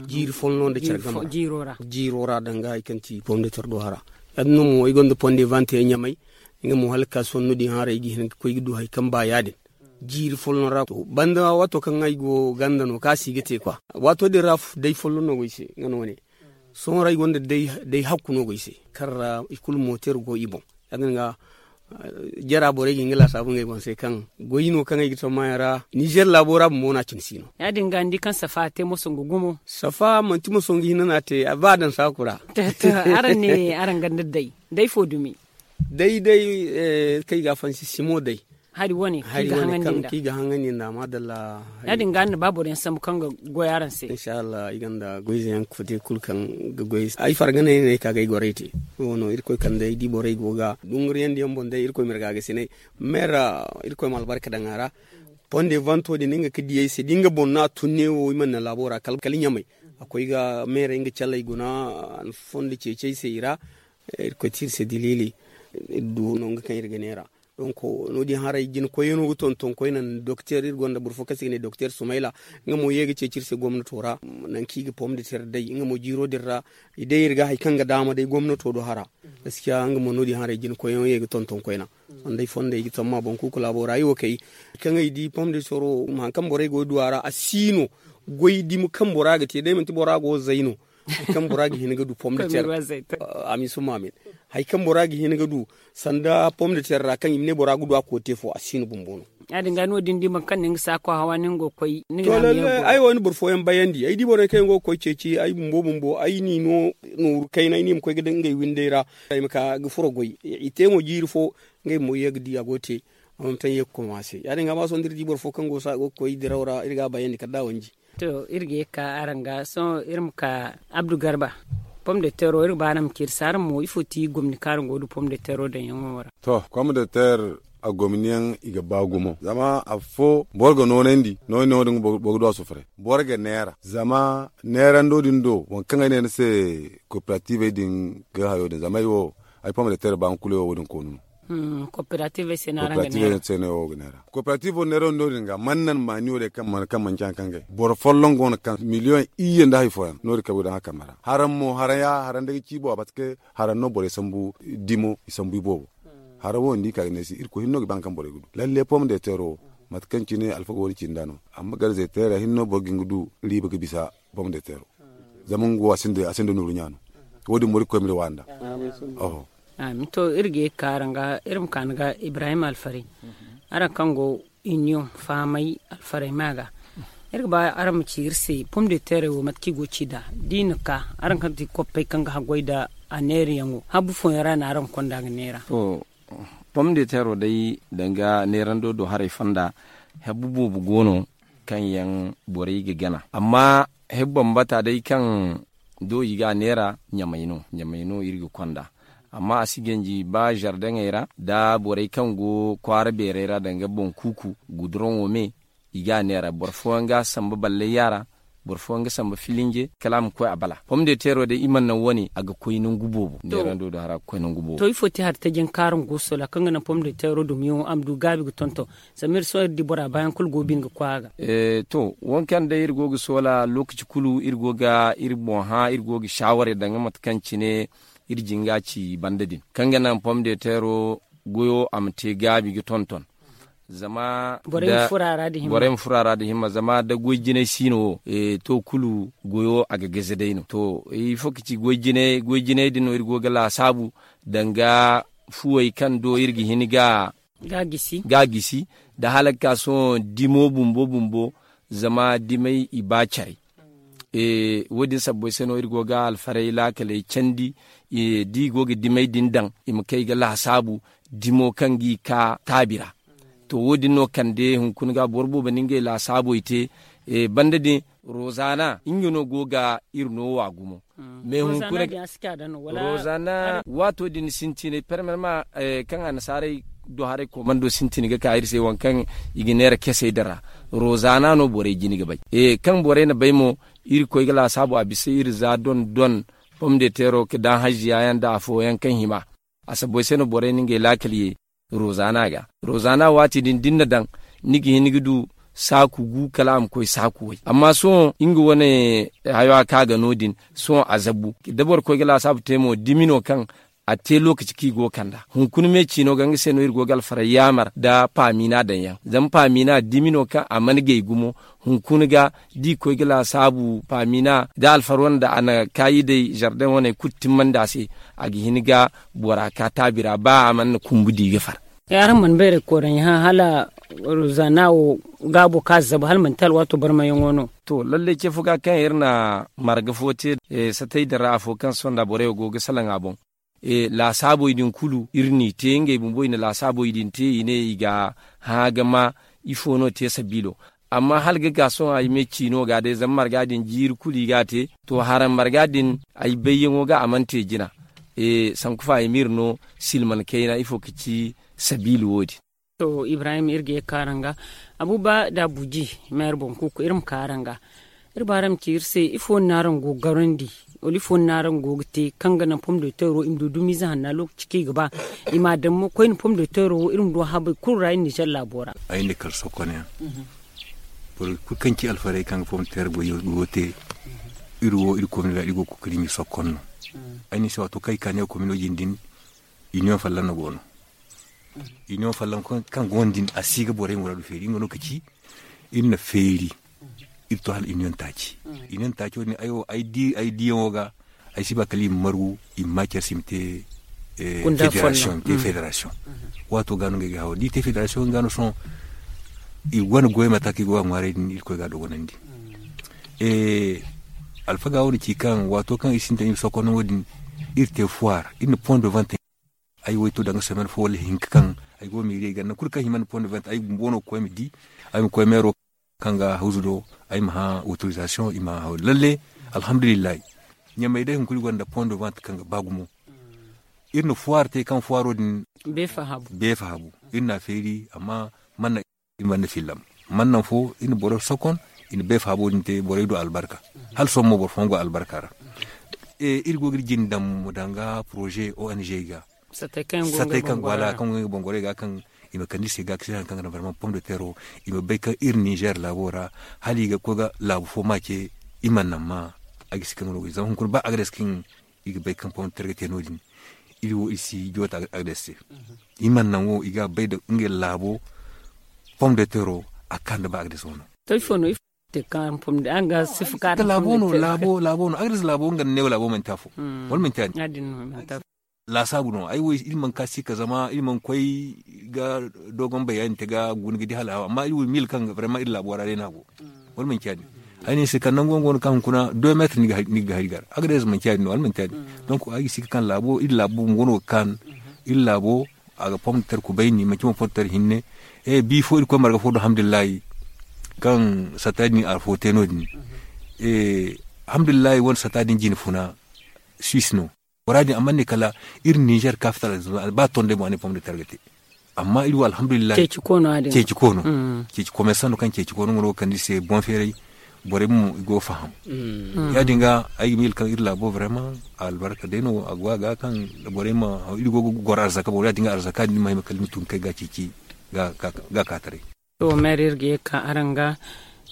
Jiiri folloŋ nda care game ra jiiro ra danga hari kaŋ ti pom de terre do hara. Ya- din no mo ay gonda pom de vente yaŋ ɲamay nga mo hala ga ka sohõ no- din haray ga hin ga koy ga du hari kaŋ ba ya- din. Jiiri folloŋ ra banda waato kaŋ ay go ganda no kaŋ a si ga te kwa waato din ra day folloŋ no go ay se nga no- ne. Sohõ ra ay gonda day hakku no go ay se kaŋ ra i kulu moteer go i boŋ. Ya- din ga jara borey ga hin ga laasaabu ngey boŋ se kaŋ goy no kaŋ ay ga tammaayaŋ ra nizeer laabo ra bumbo no a cine si no. Ya- din ga ni di kaŋ safa a te moso nga gumo. Safa manti moso nga hinne no a te ba a daŋ saaku ra. Araŋ ne araŋ ganda day day fo dumi. Day day kaŋ i ga a fansi simo day. Hari wane kaŋ i ga haŋandi nda maadalla. Ya- din ga ni na ba boro yaŋ sambu kaŋ ga goy araŋ se. Insha allah ay gonda goyze yaŋ kote kulu kaŋ ga goy ay farga no ay ne ay ka ga ay goray te. Wo no irkoy kande ay di borey go ga dunguriyandi yaŋ boŋ day irkoy ma iri ga a ga sinay. Meera irkoy ma albarka daŋ a ra. Pom de vanto din nga ga di ay se da nga boŋ no a tun ne wo i mana laabo ra kala ɲamay. A koy ga meera nga calley guna a na fondo ceeci ay se i ra. Irkoy te iri se diliili iri du nangu kaŋ iri ga neera. Donk no- din haray jina koyyaŋo ga tonton koyne doktor iri gonda boro fo kaŋ se i ga ne doktor sumayla. Nga mo ye ga ceeci iri se gomnato ra nangu kaŋ i ga pom de tere day nga mo jiiro din ra. I day iri ga hari kaŋ ga daama day gomnato do hara. Gaskiya nga mo no- din haray jina koyyaŋo ye ga tonton koyne. Sonda ay fondo ay ga tamma boŋ kuuku laabo ra ay wo kay kaŋ ay di pom de tere wo hari kaŋ borey go ga du a ra a si no. Goy dumi kaŋ bora ga te day manti bora go zay no. Hari kaŋ bora ga hin ga du pom de tere. Amin summa amin. Hari kaŋ bora ga hin ga du sanda pom de tere ra kaŋ i ma ne bora ga du a kote fo a si no bumbo no. Ya- din ga no- din di boro kaŋ na nga saako hawa ni nga go ga koy ni ga. Ay wo ni boro fooyaŋ bayandi ay di borey kaŋ yaŋ go ga koy ceeci ay bumbo bumbo ay n'i no nooru kayna ay n'i ma koy ga daŋ ngey windey ra. Ay ma ka ga furo goy i te mo jiiri fo. Ngey bumbo ye ga di a go ga te. Amma ma taŋ ye ga koy ma se ya- din ga ma sohõ da iri di boro fo kaŋ go ga koy diraw ra iri ga a bayandi kala da a wanji. To iri ga ye ga ka araŋ ga sohõ iri ma ka abdu garba. Pom de teero iri ga ba araŋ ma ci iri se araŋ mo ifo ti gomni kaŋ araŋ go ga du pom de teero daŋyaŋo ra? To pom de teer a gomni yaŋ i ga ba gumo zama afo boro ga noonandi nooni no din boro ga du a sufuray boro ga neera zama neerando din do waŋ kaŋ ay ne ni se kooperativey din ga hayo din zama ay wo ay pom de teer ba nga kulu wo wo- din koonu no. Kooperativey se no araŋ ga neera. Kooperativey se no wo ga neera kooperativey wo neera no- din ga man nan maani wo day kaŋ manti haŋ kaŋ gay boro folloŋ go no kaŋ miliyoŋ iyye nda hari fooyaŋ no- din kaŋ ay go daŋ a kambe ra haraŋ mo haraŋ ya haraŋ day ga ci boobo parce que haraŋ no borey sambu dimo i sambu i boobo. Haraŋ wo ni di ka ga ne se irkoy hinne no ga ba haŋ kaŋ borey ga du lalle pom de teero mate kaŋ cine alfaga wo- din ci nd'a no. Amma garze teera hinne no boro ga hin ga du riiba ga bisa pom de teero. Zama nga wo a sinda nooru ɲaano. Wo- din mo irkoy ma iri waani nd'a. Amin to iri ga ye ga ka araŋ ga iri ma ka ni ga ibrahim alfaray. Araŋ kaŋ go iniyoŋ fahamay alfaray ma ga iri ga ba araŋ ma ci iri se pom de teerey wo mate kaŋ i go ga ci nd'a da i na ka araŋ kaŋ ti koppey kaŋ ga haggoy nda a neerayaŋo habu fooyaŋ ra no araŋ ga konda ga neera? To pom de teero day danga neerando do haray fonda habu boobo go no kaŋ yaŋ borey ga gana amma habu bambata day kaŋ do i ga a neera ɲamay no ɲamay no iri ga konda. Amma a si ganji ba zardaŋey ra nda borey kaŋ go kwaara beerey ra danga boŋ kuuku guduroŋo me. I ga a neera boro fooyaŋ ga samba ballayya ra, boro fooyaŋ ga samba filinje kala a ma koy a bala pom de teero day i mana naŋ wane a ga koy nangu boobo. Neerando do hara ga koy nangu boobo. To ifo te hari tajen kaaraŋ go soola kaŋ ga naŋ pom de teero dumiyaŋo a ma du gaabi ga tonton. Zama iri sohõ iri di bora baayaŋ kulu go bine ga koy a ga. To, wo kaŋ day iri go ga soola lookaci kulu iri go ga iri boŋ hã iri go ga shaawarey daŋ ga mate kaŋ cine iri jinga ci banda din kaŋ ga naŋ pom de teero goyo a ma te gaabi ga tonton. Zama borey ma furo a ra nda himma zama da goy jinay siino wo, to kulu goyo a ga gaze day no to. Ifo ka ci goy jinay din no iri go ga laasaabu danga fuwey kaŋ do iri ga hin ga ga gisi nda hala ga ka sohõ dimo bumbo bumbo. Zama dimay i ba care. Wo- din sabbay se no iri go ga alfaray laakaley candi. Da i go ga dimay din daŋ i ma kay ga laasaabu dimo kaŋ ga i ka taabi ra. To wo- din no kande hunkuna ga boro boobo na ngey laasaabey te. Banda din rozaana nga no go ga iri noowa gumo. Mais hunkuna rozaana waato din sintinay permanama kaŋ annasaarey do haray koomando sintin ga ka iri se waŋ kaŋ i ga neera kesey din ra. Rozaana no borey jine ga bay. Kaŋ borey na bay mo iri koy ga laasaabu a bisa iri za don don pom de teero ga daŋ haziya yaŋ nda afooyaŋ kaŋ hima. A sabbay se no borey na ngey laakal ye rozaana ga. Rozaana waati din da ni na daŋ ni ga hin ga du saaku gu kala a ma koy saaku way amma sohõ nga wane hayo a ka ga no- din. Sohõ a zabbu da boro koy ga laasaabu te mo dimi no kaŋ a te lookaci kaŋ i go ga kand'a hunkuna me ciino ga nga se no iri go ga alfaray yaamar nda paamiina daŋ yaŋ zama paamiina dimi no kaŋ a mana gay gumo. Hunkuna ga da i koy ga laasaabu paamiina da alfar wane nda a na kaayi day zardaŋ wane kulu timmandi a se. A ga hin ga bora ka taabi ra ba a mana na kumbu di ga far. Araŋ mana bayray kooraŋ yaŋ hã hala rozaana wo gaabo kaŋ a zabu hala manti alwaato barmayaŋo no. To lallay ce fo ga kaŋ iri na marga fo te satay din ra afo kaŋ sohõ nda borey wo go ga salaŋ a boŋ. Laasaabey din kulu iri n'i te ngey bumbo i na laasaabey din te i ne i ga hã ga ma ifo no te sabiilo. Amma hala ga ka sohõ ay me ciino ga day zama marga din jiiri kulu i ga a te. To haraŋ marga din ay bayyaŋo ga a mana te jina. Sanku fa ay ma iri no silman kayna ifo ka ci sabiila wo- din. To ibrahim iri ga ye ka araŋ ga abuba da abuji, meera boŋ kuuku iri ma ka araŋ ga. Iri ba araŋ ma ci iri se ifo no araŋ go ga garandi wala ifo no araŋ go ga te kaŋ ga naŋ pom de teero i ma du dumiize hanna lookaci kaŋ i ga ba i ma a daŋ mo koyne pom de teero wo iri ma du a habey kulu ra iri nizer laabo ra. Ay ne kala sokon yaŋ boro kulu kaŋ ci alfarey kaŋ ga pom de teero go te. Iri wo iri komino ra iri go ga kookari iri ma i sokon no. Ay ne se waato kaŋ ay ka ne komino jine din. Iniyoŋ folloŋ no go no. Iniyoŋ folloŋ kaŋ go no din a si ga borey muraadu feeri nga no ka ci iri na feeri. Iri to hala iniyoŋ taaci. Iniyoŋ taaci wo- din ay diyaŋo ga ay si ba kala i ma margu i ma ma care se i ma te federasiyoŋ. Waato ga no ngey ga hawo da i te federasiyoŋ nga no sohõ. I wane goy mate kaŋ i go ga ŋwaaray din iri koy ga a dogonandi. Alfaga wo- din ci kaŋ waato kaŋ iri sintin iri ma sokon no wo- din iri te fuwaar iri na pon de vente. Ay wo ay to danga semaine fo wala hinka kaŋ ay go ga miiri ay ganda nangu kulu kaŋ hima nda pon de vente ay bumbo no ga koy ma di. Ay ma koy meero kaŋ ga hawzu do ay ma hã autorisation i ma hã lalle. Alhamdulillahi. Ɲamey day hunkuna gonda pon de vente kaŋ ga ba gumo. Iri na fuwaar te kaŋ fuwaaro din beefa habu. Iri na a feeri amma manna iri mana fillam. Manna fo iri na boro sokon iri na beefa habu din te borey du albarka. Hala sohõ mo boro fooyaŋ go albarka ra. Iri go ga iri jine daŋ danga poroze ong ga satey kaŋ go ga nga bongorey ga kaŋ i ma kande iri se ga kisi hari kaŋ ga naŋ barman pom de teero. I ma bay kaŋ iri nizer laabo ra hala i ga koy ga laabu fo ma ce. I mana naŋ ma a ga si kaŋ no ga zama hunkuna ba a ga day se kaŋ i ga bay kaŋ pom de teero ga te no- din. Iri wo iri si joota a ga day se i mana naŋ wo i ga bay da ngey laabo pom de teero. A ga ka nda ba a ga day se wo no. To ifo no ifo te kaŋ pom de araŋ ga sifa kaŋ araŋ pom de teero laabo no a ga day se laabo nga ne laabo manti afo wala manti a din. Laasaabu no ay wo iri mana ka si ka zama iri mana koy ga dogon bayani te ga guna ga di hala amma iri wo miila kaŋ vraiment iri laabo ra day no a go. Wala manti a din ay ne ni se kala nangu yaŋ go no kaŋ hunkuna deux mètres ni ga hari ga ra a ga day za manti a din no wala manti a din. Donc ay ga si ka kaŋ laabo iri laabo bumbo no ga kaanu. Iri laabo a ga pom de terre kubayni manti mo pom de terre hinne. Bi fo iri koy marga fo do alhamdulillahi kaŋ satta din afo te no- din. Alhamdulillahi wane satta din jine funa suisse no. Bora din a mana ne kala iri ninzeer kaafital, ba ton day boŋ a ne pom de ter ga te. Amma iri wo alhamdulillahi. Ceeci koono. Ceeci koono. Komersan no kaŋ ceeci koono nga no ga kande iri se boŋ feeray. Borey mo i go ga faham. Ya- din ga ay ga miila kaŋ iri laabo brema albarka day no a go a ga kaŋ borey ma iri go ga goro arzaka boro ya- din ga arzaka din ma hima kala ni ma tun kay ga ceeci ga ka taray. To meera iri ga ye ga ka araŋ ga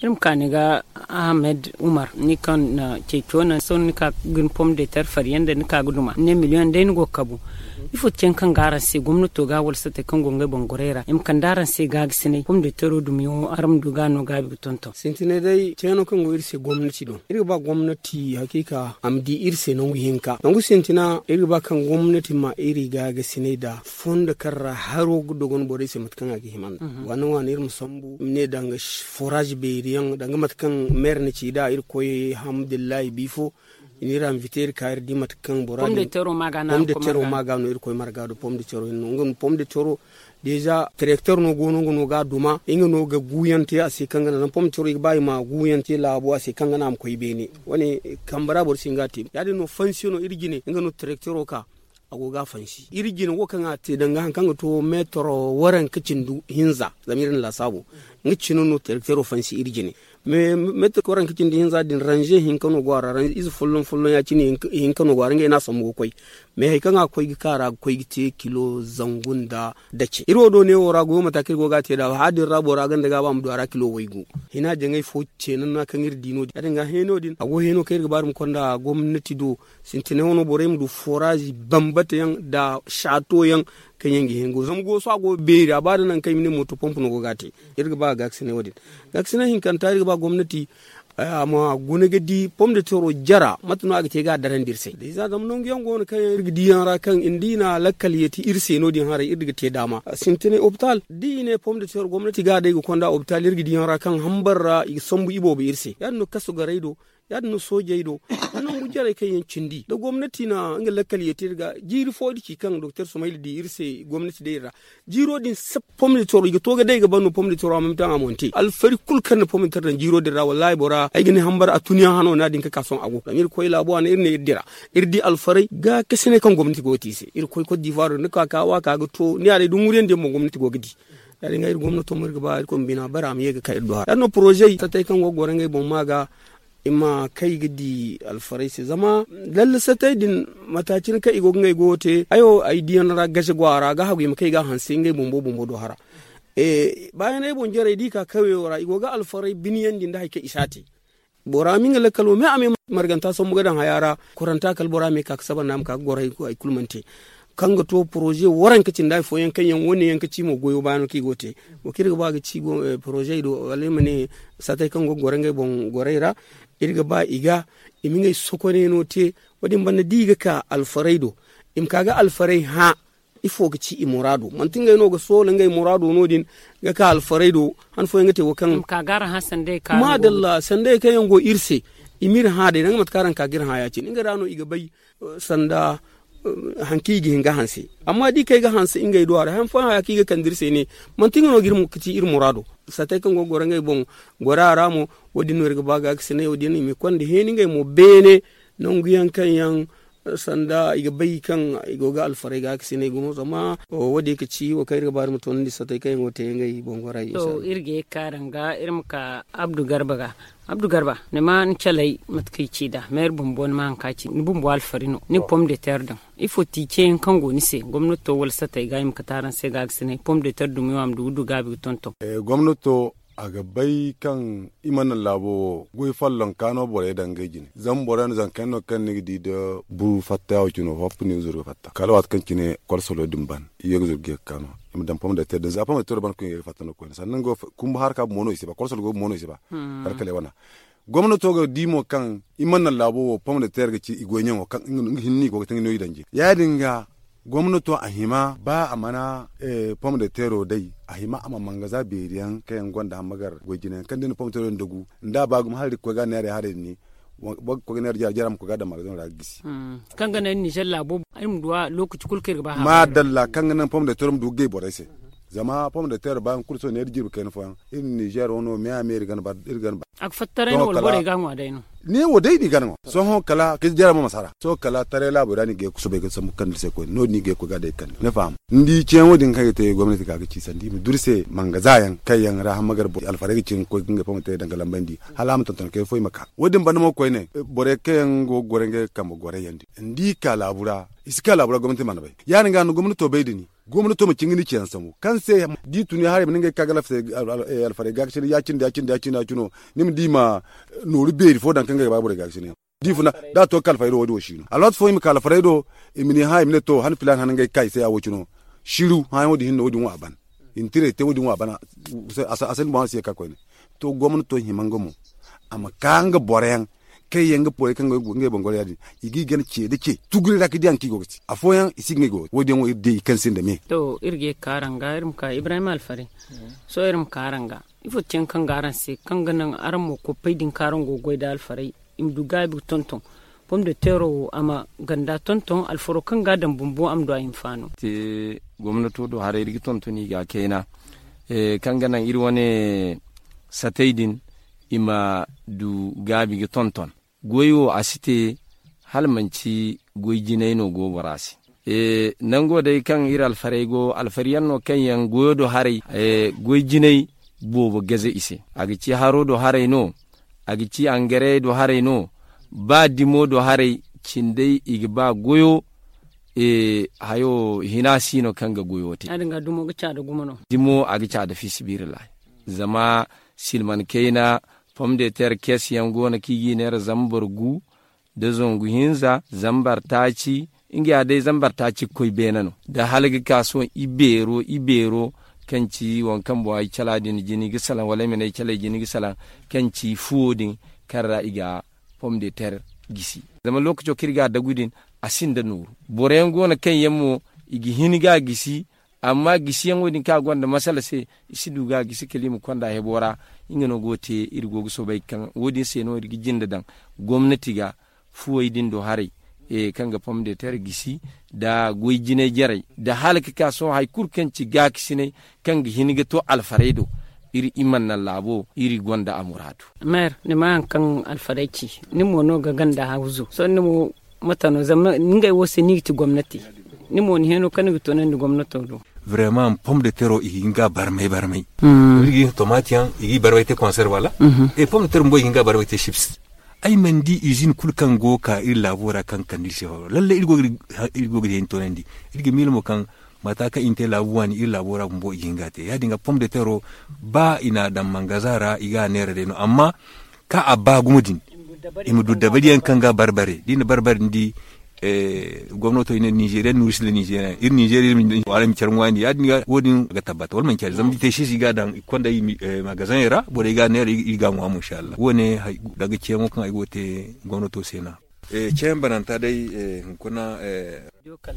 iri ma ka ni ga ahmed umar ni kaŋ na ceeco naŋ sohõ ni ka ga ni pom de ter fari yaŋ da ni ka ga duma ni ne miliyoŋ day ni go ga kabu. Ifo ti ceeyaŋ kaŋ ga araŋ se gomnato ga wala satey kaŋ go ngey boŋ gorey ra i ma kande araŋ se gaagasinay pom de tero dumiyaŋo araŋ ma du ga no gaabi ga tonton? Sintinay day ceeno kaŋ go iri se gomnati do iri ga ba gomnati hakiika a ma di iri se nangu hinka nangu sintina iri ga ba kaŋ gomnati ma iri gaagasinay da fondo kaŋ ra haro ga dogon borey se mate kaŋ a ga hima nda waana waana iri ma sambu i ma ne danga forage beeri yaŋ danga mate kaŋ meera na ci nd'a iri koy alhamdulillahi biifo i n'iri invite iri ka iri di mate kaŋ bora din pom de tero ma ga no iri koy marga do pom de tero hinne no nga no pom de tero deeza terekter no go no nga no ga a duma nga no ga guuyaŋ te a se kaŋ ga naŋ zama pom de tero i ga ba i ma guuyaŋ te laabo a se kaŋ ga naŋ a ma koy beene wane kambe ra boro si hin ga a te ya- din no fansi no iri jine nga no terektero ka a go ga a fansi iri jine wo kaŋ a te danga hari kaŋ ga to meetoro waranka cindi hinza zama iri na laasaabo nga cine no terektero fansi iri jine. Meetoro waranka cindi hinza din ranze hinka no go a ra ize folloŋ folloŋ ya- cine hinka no go a ra ngey no a sambu ga koy. Mais hari kaŋ a ga koy ga ka a ra ga koy ga te kilo zangu nda dace iri wo do neewo ra goyo mate kaŋ iri go ga a te nd'a hala din ra bora ganda ga ba a ma du a ra kilo waygu. Hina jaŋay fo ce nanna kaŋ iri di no- din ya- din ga heeno din a go heeno kaŋ iri ga ba iri ma konda gomnati do sintinay wano borey ma du foraazi bambata yaŋ nda saato yaŋ kaŋ yaŋ ga hẽ go zama go sohõ a go ga beeri a ba da nangu kaŋ i ma ne mooto pomp no go ga a te. Iri ga ba ga gaakasinay wo- din gaakasinay hinkanta iri ga ba gomnati a ma guna ga di pom de tero jara mate no a ga te ga a darandi iri se da i za zama nangu yaŋ go no kaŋ yaŋ iri ga di yaŋ ra kaŋ nda i na lakkal yeeti iri se no- din haray iri ga te daama sintinay opital da i ne pom de tero gomnati ga a day ga konda opital iri ga di yaŋ ra kaŋ hambar ra i ga sambu iboobo iri se ya- din no kaso garay do ya- din no soojey do nangu jarey kaŋ yaŋ cindi da gomnati na nga lakkal yeeti iri ga jiiri fo da ci kaŋ doktor sumayla di iri se gomnati day iri ra jiiro din sab pom de tero i ga to ga day ga ban no pom de tero a ma mitaŋ a monte alfari kulu kaŋ na pom de tero daŋ jiiro din ra wallahi bora ay ga ne hambar a tun yaŋ hano no- ya- din ga ka sohõ a go zama iri koy laabo a ne iri ne iri dira iri di alfaray gaakasinay kaŋ gomnati go ga te i se iri koy kot divoire ni ka ka wa ka ga to ni ya- day da ŋuriyandi yaŋ boŋ gomnati go ga di ya- din ga iri gomnato mo iri ga ba iri koy ma bina bare a ma ye ga ka iri do hara ya- din no poroze satay kaŋ go ga goro ngey boŋ ma ga i ma kay ga di alfaray se zama lalle satay din mata cine kaŋ i go ga ngey goyo te hayo ay diyaŋ ra gaze go a ra ga hagu i ma kay ga a hanse ngey bumbo bumbo do hara. Baayaney boŋ jarey da i ka kawyo ra i go ga alfaray biniyandi nda hari kaŋ i si a te bora ma nga lakkalo me a me marganta sambu ga daŋ haya ra koranta kala bora me ka ga saba nda a ma ka ga goro hari kulu mana te kaŋ ga to poroze waranka cindi hari fooyaŋ kaŋ yaŋ wane yaŋ ga ci mo goyo baano kaŋ i go ga te wo kaŋ iri ga ba ga ci poroze do wala iri ma ne satay kaŋ go ga goro ngey boŋ gorey ra iri ga ba i ga i ma ngey sokoney no te wo- din banda da i ga ka alfaray do i ma ka ga alfaray hã ifo ga ci i muraado manti ngey no ga soola ngey muraado no- din ga ka alfaray do han fooyaŋ ga te wo kaŋ maadalla sanday kaŋ yaŋ go iri se i ma iri hã day danga mate kaŋ araŋ ka ga iri hã ya- cine nga ra no i ga bay sanda hari kaŋ i ga hin ga hanse amma da i kay ga hanse ngey do a ra han fooyaŋ haya kaŋ i ga kande iri se ne manti nga no ga ci iri muraado satay kaŋ go ga goro ngey boŋ gora ra mo wo- din no iri ga ba ga ga sinay wo- din i ma i konda heeni ngey mo beene nangu yaŋ kaŋ yaŋ sanda i ga bay kaŋ i go ga alfaray ga ga sinay gumo zama wo- din ga ci wo kaŋ iri ga ba iri ma toonandi satay kaŋ yaŋ go ga te ngey boŋ gora i se. Iri ga ye ga ka danga iri ma ka abdu garba ga abdu garba ni ma ni calay mate kaŋ i ci nd'a meera bumbo ni ma hari kaŋ a ci ni bumbo alfari no ni pom de ter daŋ ifo ti ceeyaŋ kaŋ go ni se gomnato wala satay ga i ma kate araŋ se ga ga sinay pom de ter dumi wo a ma du ga du gaabi ga tonton. Gomnato a ga bay kaŋ i mana naŋ laabo wo goy follonka no borey daŋ ngey jine zama boro yaŋ no zanka yaŋ no kaŋ ni ga di nda buru fatta ya wo cine wo fo ni ga zuru ga fatta kala waati kaŋ cine kolsolo din ban i ye ga zuru ga ye ga ka no i ma daŋ pom de ter din za pom de ter ban kaŋ i ye ga fatta no koyne sannan ga kumba harka bumbo no i si ba kolsolo go bumbo no i si ba. Kala kala i wana gomnato ga di mo kaŋ i mana naŋ laabo wo pom de ter ga ci i goy ɲaŋo kaŋ nga hinne i go ga te nga no i daŋ jine ya- din ga gomnato a hima ba a mana pom de tero day a hima a ma mangaza beeri yaŋ kaŋ yaŋ gonda hammagar goy jine yaŋ kaŋ da ni pom de tero yaŋ dagu nda a ba gumo hala da ga koy ga neeray haray din ne boro ga koy ga neera jara jara ma koy ga daŋ magazino ra ga gisi. Kaŋ ga naŋ ninzeer laabo iri ma du a lookaci kulu kaŋ iri ga ba haray madalla kaŋ ga naŋ pom de tero ma du ga gay borey se zama pom de tero ba nga kulu sohõ neera jirbi kayna fooyaŋ iri ninzeer wano me a me iri ga ni ba. A ga fattaray no wala borey ga a ŋwa day no. Ne wo day no i ga naŋ sohõ kala ka jara ma masara sohõ kala taray laabo ra no i ga ye ga soobay ga sambu kande se koyne no- din no i ga ye ga koy ga day kande ni faham. Ni di ceeyaŋo din kaŋ i ga te gomnati ga ga ci sanda i ma duru se mangaza yaŋ kaŋ yaŋ ra hamma gar alfarey ga cin ga koy ga ngey fo ma te daŋ ga lambandi hala a ma tonton kay fo i ma ka wo- din banda mo koyne. Borey kaŋ yaŋ go ga goro ngey kambe goro yaŋ din ni di i ka laabu ra i si ka laabu ra gomnati mana bay ya- din ga no gomnato bay da ni gomnato ma cin ga ni ceeyaŋ sambu kaŋ se da i tun i haray ma ne ngey ga ka ga alfarey ga ga cine ya- cine da ya- cine da ya- cine da ya- cine no ni ma di i ma nooru beeri fo daŋ kaŋ ga ga ba borey ga ga cine. Da i funa da a to ga ka alfarey do wo- din wo si no alwaati fo i ma ka alfarey do i ma ni hã i ma ne to han filaana han ngey ga ka i se ya wo- cine no. Siru hãyaŋo din hinne wo- din wo a ban. I na tiray te wo- din wo a ban. A sanda boŋ a si ye ga ka koyne. To gomnato hima nga mo a ma ka nga boro yaŋ kaŋ yaŋ ga borey kaŋ ga ngey boŋ goro ya- din i ga i gana ce nda ce tuguri ra ga di haŋ kaŋ i go ga te afooyaŋ i si ga ngey go wo- din yaŋ wo iri di i kaŋ sinda me. To iri ga ye ga ka araŋ ga iri ma ka ibrahim alfarey. Sohõ iri ma ka araŋ ga ifo ti yaŋ kaŋ ga araŋ se kaŋ ga naŋ araŋ mo koppey din kaŋ araŋ go ga goy nda alfarey i ma du gaabi ga tonton. Pom de teero wo a ma ganda tonton alfaro kaŋ ga a daŋ bumbo a ma du a hinfaano. Te gomnato do haray iri ga tonton i ga kayna kaŋ ga naŋ iri wane satey din i ma du gaabi ga tonton. Goy wo a si te hala manci goy jinay no go bora se. Nango day kaŋ iri alfarey go alfariyaŋ no kaŋ yaŋ goyo do haray goy jinay boobo gaze i se a ga ci haro do haray no. A ga ci angarey do haray no. Ba dimo do haray cindey i ga ba goyo. Hayo hina si no kaŋ ga goyo te. Dimo a ga ca da fi sibirillahi. Zama silman kayna pom de ter kes yaŋ go no kaŋ i ga i neera zambar gu da zangu hinza zambar taaci. Nga ya day zambar taaci ga koy beene no da hala ga ka sohõ i beero i beero kaŋ ci waŋ kaŋ boŋ ay cala din jini ga salaŋ wala ay ma ne ay cala ay jini ga salaŋ kaŋ ci fuwo din kaŋ ra i ga pom de ter gisi. Zama lookaco kaŋ iri ga a dagu din a sinda nooru. Boro yaŋ go no kaŋ yaŋ mo i ga hin ga a gisi. Amma gisiyaŋo din kaŋ a gonda masala se i si du ga a gisi kala i ma konda hebo ra. Nga no go ga te iri go ga soobay kaŋ wo- din se no iri ga jinde daŋ gomnati ga fuwey din do haray kaŋ ga pom de ter gisi nda goy jinay jarey nda hala ga ka sohõ hari kulu kaŋ ci gaakasinay kaŋ ga hin ga to alfarey do. Iri i mana naŋ laabo iri gonda a muraadu. Meer ni ma haŋ kaŋ alfarey ci ni mo no ga ganda hawzu sohõ ni mo mate no zama ngey wo se ni ga ti gomnati. Ni mo ni heno kaŋ ni ga toonandi gomnato do. Vraiment pom de tero i ga hin ga barmay barmay. Iri ga hin tomati yaŋ i ga i barmay te konserve wala e pom de tero bumbo i ga hin ga barmay te chips. Ay mana di izin kulu kaŋ go ga ka iri laabo ra kaŋ ga kande iri se horo lalle iri go ga di haŋ toonandi. Iri ga miila mo kaŋ mata kaŋ i na te laabu waani iri laabo ra bumbo i ga hin ga a te ya- din ga pom de tero ba i n'a daŋ mangaza ra i ga a neera day no amma kaŋ a ba gumo din i ma du dabariyaŋ kaŋ ga barbare da i na barbare ni di. Gomnato i ne nizeriyan no iri si ne nizeriyan iri nizeriya iri ma care ŋwaani ya- din ga wo- din ga tabbata wala manci ya- din zama da i te sisi i ga a daŋ i ga konda i magazaŋey ra borey ga a neera iri ga a ŋwa mo inshallah wo- ne. Danga ceeyaŋo kaŋ ay go ga te gomnato se no. Ceeyaŋ bananta day hunkuna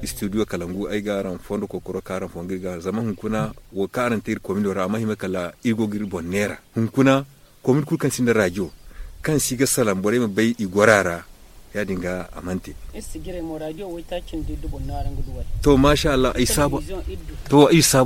studio kalangu ay ga araŋ fondo kokoro kaŋ araŋ fondo iri ga zama hunkuna wo kaŋ araŋ te iri komino ra a mana hima kala iri go ga iri boŋ neera hunkuna. Komin kulu kaŋ sinda radio kaŋ si ga salaŋ borey ma bay i gora ra. Ya- din ga a mana te. To masha allah ay saabu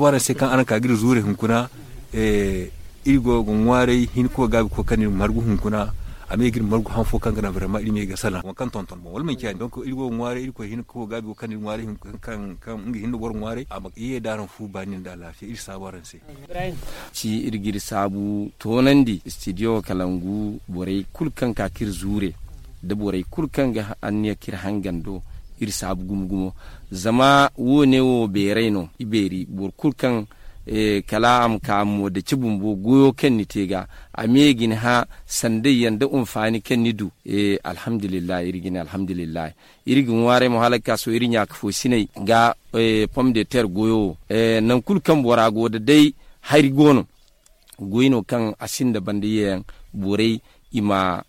araŋ se kaŋ araŋ ka ga iri zuure hunkuna. Iri go ga ŋwaaray hinko gaabi koy kaŋ iri margu hunkuna a ma ye ga iri margu haŋ fo kaŋ ga naŋ vraiment iri ma ye ga salaŋ waŋ kaŋ tonton boŋ wala manci ya- din donc iri go ga ŋwaaray iri koy hinko gaabi go kaŋ iri ŋwaaray hunkuna kaŋ nga hinne boro ŋwaaray a ma ye da araŋ fu baani nda alaafiya iri saabu araŋ se. Ci iri ga iri saabu toonandi studio kalangu borey kulu kaŋ ka ka iri zuure da borey kulu kaŋ ga anniya ka iri hangan do. Iri saabu gumo gumo zama wo- ne wo beeray no i beeri boro kulu kaŋ kala a ma ka mo daci bumbo goyo kaŋ ni te ga a me ga ni hã sanday yaŋ da hunfaani kaŋ ni du. Alhamdulillahi iri ga ne alhamdulillahi. Iri ga ŋwaaray mo hala ga ka sohõ iri ɲaaka fo sinay ga pom de ter goyo wo nangu kulu kaŋ bora go da day hari go no. Goy no kaŋ a sinda banda yeeyaŋ borey i ma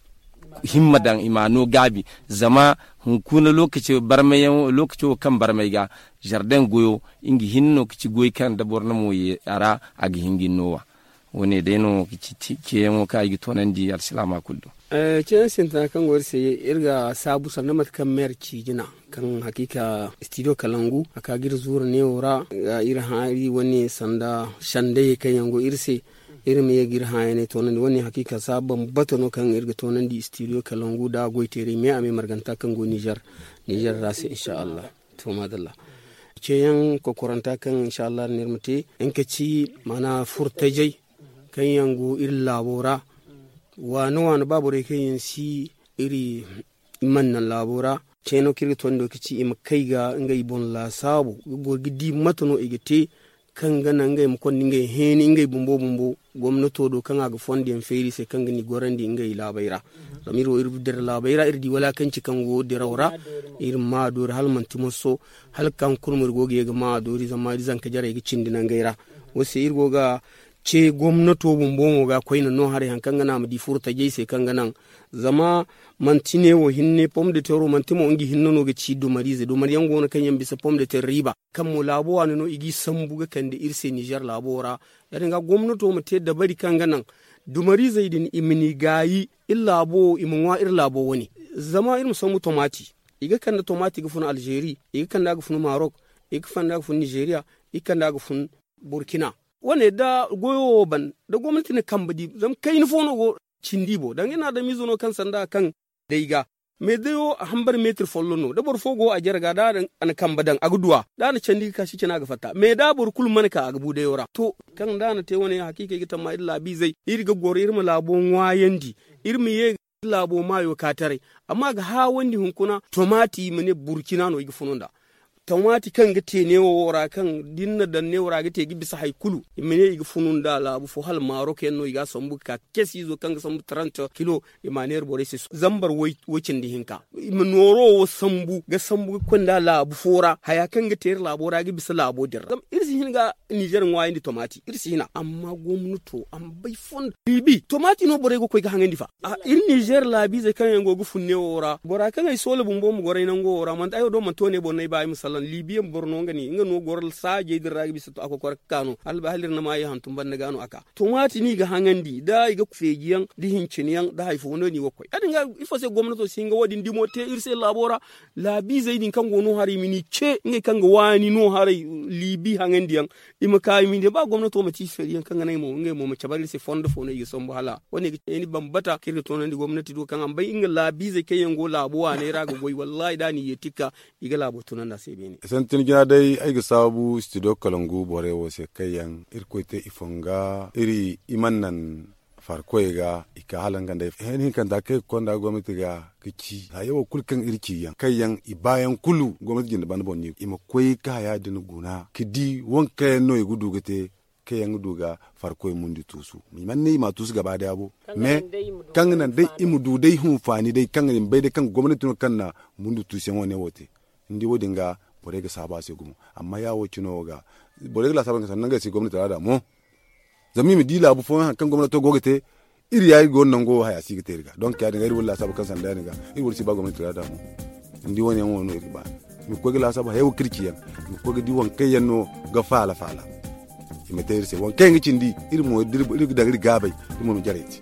himma daŋ i ma a no gaabi. Zama hunkuna lookaci barmay yaŋ lookaci wo kaŋ barmay ga zardeŋ goyo nga hinne no ga ci goy kaŋ da boro na mo ye a ra a ga hin ga ni no wa. Wo- ne day no ga ci ceeyaŋo kaŋ ay ga toonandi alsilaama kulu do. Ceeyaŋ sintina kaŋ go iri se, iri ga saabu sanda mate kaŋ meer ci jina, kaŋ hakiika studio kalangu a ka ga iri zuura neewo ra. Iri hã iri wane sanda sandayey kaŋ yaŋ go iri se, iri ma ye ga iri hãayaney toonandi. Wane hakiika saabu bambata no kaŋ iri ga toonandi studio kalangu nda goy teeray me a me marganta kaŋ go nizer ra se insa allah. To maadalla. Ceeyaŋ kokoranta kaŋ insa allah no iri ma te, nga ka ci maana furtajey kaŋ yaŋ go iri laabo ra. Waana waana ba borey kaŋ yaŋ si iri i mana naŋ laabo ra. Ceeno kaŋ iri ga toonandi wo ka ci i ma kay ga ngey boŋ laasaabu ga goro ga di mate no i ga te kaŋ ga naŋ ngey ma konda ngey heeni ngey bumbo bumbo gomnato do kaŋ a ga fondo yaŋ feeri i se kaŋ ga ni gorandi ngey laabey ra. Zama iri wo iri dira laabey ra iri di walaakanci kaŋ go diraw ra. Iri ma a doori hala manti moso hala kaŋ kulu mo iri go ga ye ga ma a doori zama iri zanka jarey ga cindi nangey ra. Wo se iri go ga ce gomnato bumbo mo ga koyne no haray hari kaŋ ga naŋ a ma di furo tajey se kaŋ ga naŋ. Zama manti ne wo hinne pom de terro manti mo nga hinne no ga ci dumariize dumariyaŋ go no kaŋ yaŋ bisa pom de terro riiba kaŋ mo laabo waani no i g'i sambu ga kande iri se nizer laabo ra. Ya- din ga gomnato ma te dabari kaŋ ga naŋ dumariizey din i ma ni gaayi iri laabo wo i ma ŋwa iri laabo wane. Zama iri ma sambu tomati i ga kande tomati ga fun alzeeri, i ga kande a ga fun marok, i ga kande a ga fun nizeriya, i ga kande a ga fun burkina. Wane da goyo wo ban da gomnati na kambe di zama kayna fo no go cindi i boŋ danga iri na adamiize no kaŋ sanda kaŋ day ga. Me dayo a hambar meetir folloŋ no da boro fo go a jare ga da a na kambe daŋ a ga duwa da a na candi ga ka si cina a ga fatta me da boro kulu mana ka a ga bu dayo ra to. Kaŋ da a na te wane hakiika ay ga tamma iri laabiizey iri ga goro iri ma laabo ŋwaayandi iri ma ye ga iri laabo maayo ka taray. Amma a ga haawandi hunkuna tomati i ma ne burkina no i ga funu nd'a. Tomati kaŋ ga te neewo wo ra kaŋ da ni na daŋ neewo ra a ga te ga bisa hari kulu i ma ne i ga funu nd'a laabu fo hala maarok yaŋ no i ga a sambu ga ka casiizo kaŋ ga sambu taranta kilo. I ma a neera borey se zambar way cindi hinka i ma nooro wo sambu ga sambu ga koy nd'a laabu fo ra haya kaŋ ga te iri laabo ra ga bisa laabo din ra zama iri si hin ga nizer ŋwaayandi tomati iri si hina amma gomnato a ma bay fondo biibi tomati no borey ga koy ga haŋandi fa. Iri nizer laabiizey kaŋ yaŋ go ga fun neewo ra bora kaŋ ay soola bumbo ma goray nango wo ra manti ay wo do manti wo ne boro no ay ba ay ma salaŋ liibiya boro no nga no goro saajey din ra ga bisa a kokora ga ka no hala iri na ma ye hantum banda ga no a ka. Tomati no i ga haŋandi da i ga feeji yaŋ da hincina yaŋ da hari fo no ni ga koy ya- din ga ifo se gomnato si hin ga wo- din dimo te iri se laabo ra. Laabiizey din kaŋ go no haray i ma ni ce ngey kaŋ ga waani no haray liibi haŋandi yaŋ. I ma ka i ma ne ba gomnato manti i feeri yaŋ kaŋ ga naŋ ay mo ngey mo ma cabe iri se fondo fo no i ga sambu hala wo- ne ga ceeni bambata kaŋ iri ga toonandi gomnati do kaŋ a ma bay nga laabiizey kaŋ yaŋ go laabo waaney ra ga goy wallaahi da a n'i yeeti ga ka i ga laabo tunandi a se beene. Santin jina day ay ga saabu studio kalangu borey wo se kaŋ yaŋ irkoy te i fonga iri i mana naŋ farkoy ga i ka hala nga nd'ey hene hinkanta kaŋ i ga konda gomnati ga ga ci haya wo kulu kaŋ iri ci yaŋ kaŋ yaŋ i baayaŋ kulu gomnati jinde banda boŋ no i ma koy ga haya din guna ga di waŋ kaŋ yaŋ no i ga du ga te kaŋ yaŋ ga du ga farkoy mundi tuusu. I mana ne i ma a tuusu gaba daya bo me kaŋ ga naŋ day i ma du day hunfaani day kaŋ i ma bay day kaŋ gomnati no kaŋ na mundi tuusu yaŋ wane wo te. Ni di wo- din ga borey ga saabu a se gumo amma ya wo cino wo ga borey ga laasaabu ga sanni nangey se gomnati ra da mo. Zama i ma di laabu fooyaŋ hari kaŋ gomnato go ga te iri ya iri go no nango wo haya si ga te iri ga donk ya- din ga iri wo laasaabu kaŋ sanda ya- din ga iri wo si ba gomnati ra da mo. Ni di wane yaŋ wo no iri ga ba i ma koy ga laasaabu haya wo kaŋ iri ci yaŋ i ma koy ga di waŋ kaŋ yaŋ no ga faala faala. I ma te iri se waŋ kaŋ yaŋ ga cindi iri mo iri ga daŋ iri gaabay iri mo ma jarey te.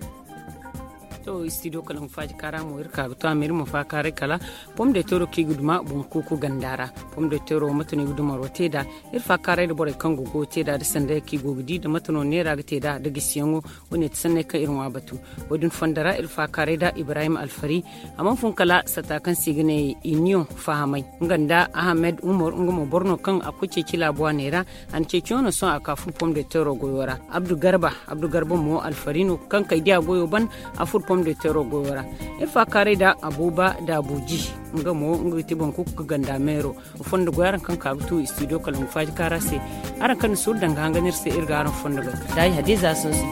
To studio kala ma faaji kaara mo iri ka ga to a ma iri ma faakaaray kala pom de tero kaŋ i ga duma boŋ kuuku ganda ra. Pom de tero mate no i ga dumaro te nd'a iri faakaaray nda borey kaŋ go ga te nd'a nda sanday kaŋ i go ga di nda mate no neera ga te nd'a nda gisiyaŋo. Wo- ne ti sanney kaŋ iri ŋwa batu wo- din fondo ra iri faakaaray nda ibrahim alfari. A mana fun kala satta kaŋ se i ga ne iniyoŋ fahamay nga nda ahamed umar nga mo boro no kaŋ a koy ceeci laabu waaney ra. A na ceeciyaŋo no sohõ a ka furo pom de tero goyo ra. Abdu garba abdu garba mo alfari no kaŋ kay diya goyo ban a furo pom de tero goyo ra. Iri faakaaray nda abuba daabuji nga mo nga ga ti boŋ kuuku ga ganda meero. Fondo goy araŋ kaŋ ka ga tu studio kala ma faaji kaara se. Araŋ kaŋ na suuru daŋ ga hangan iri se iri ga araŋ fondo goy. Daayi hadiza soose.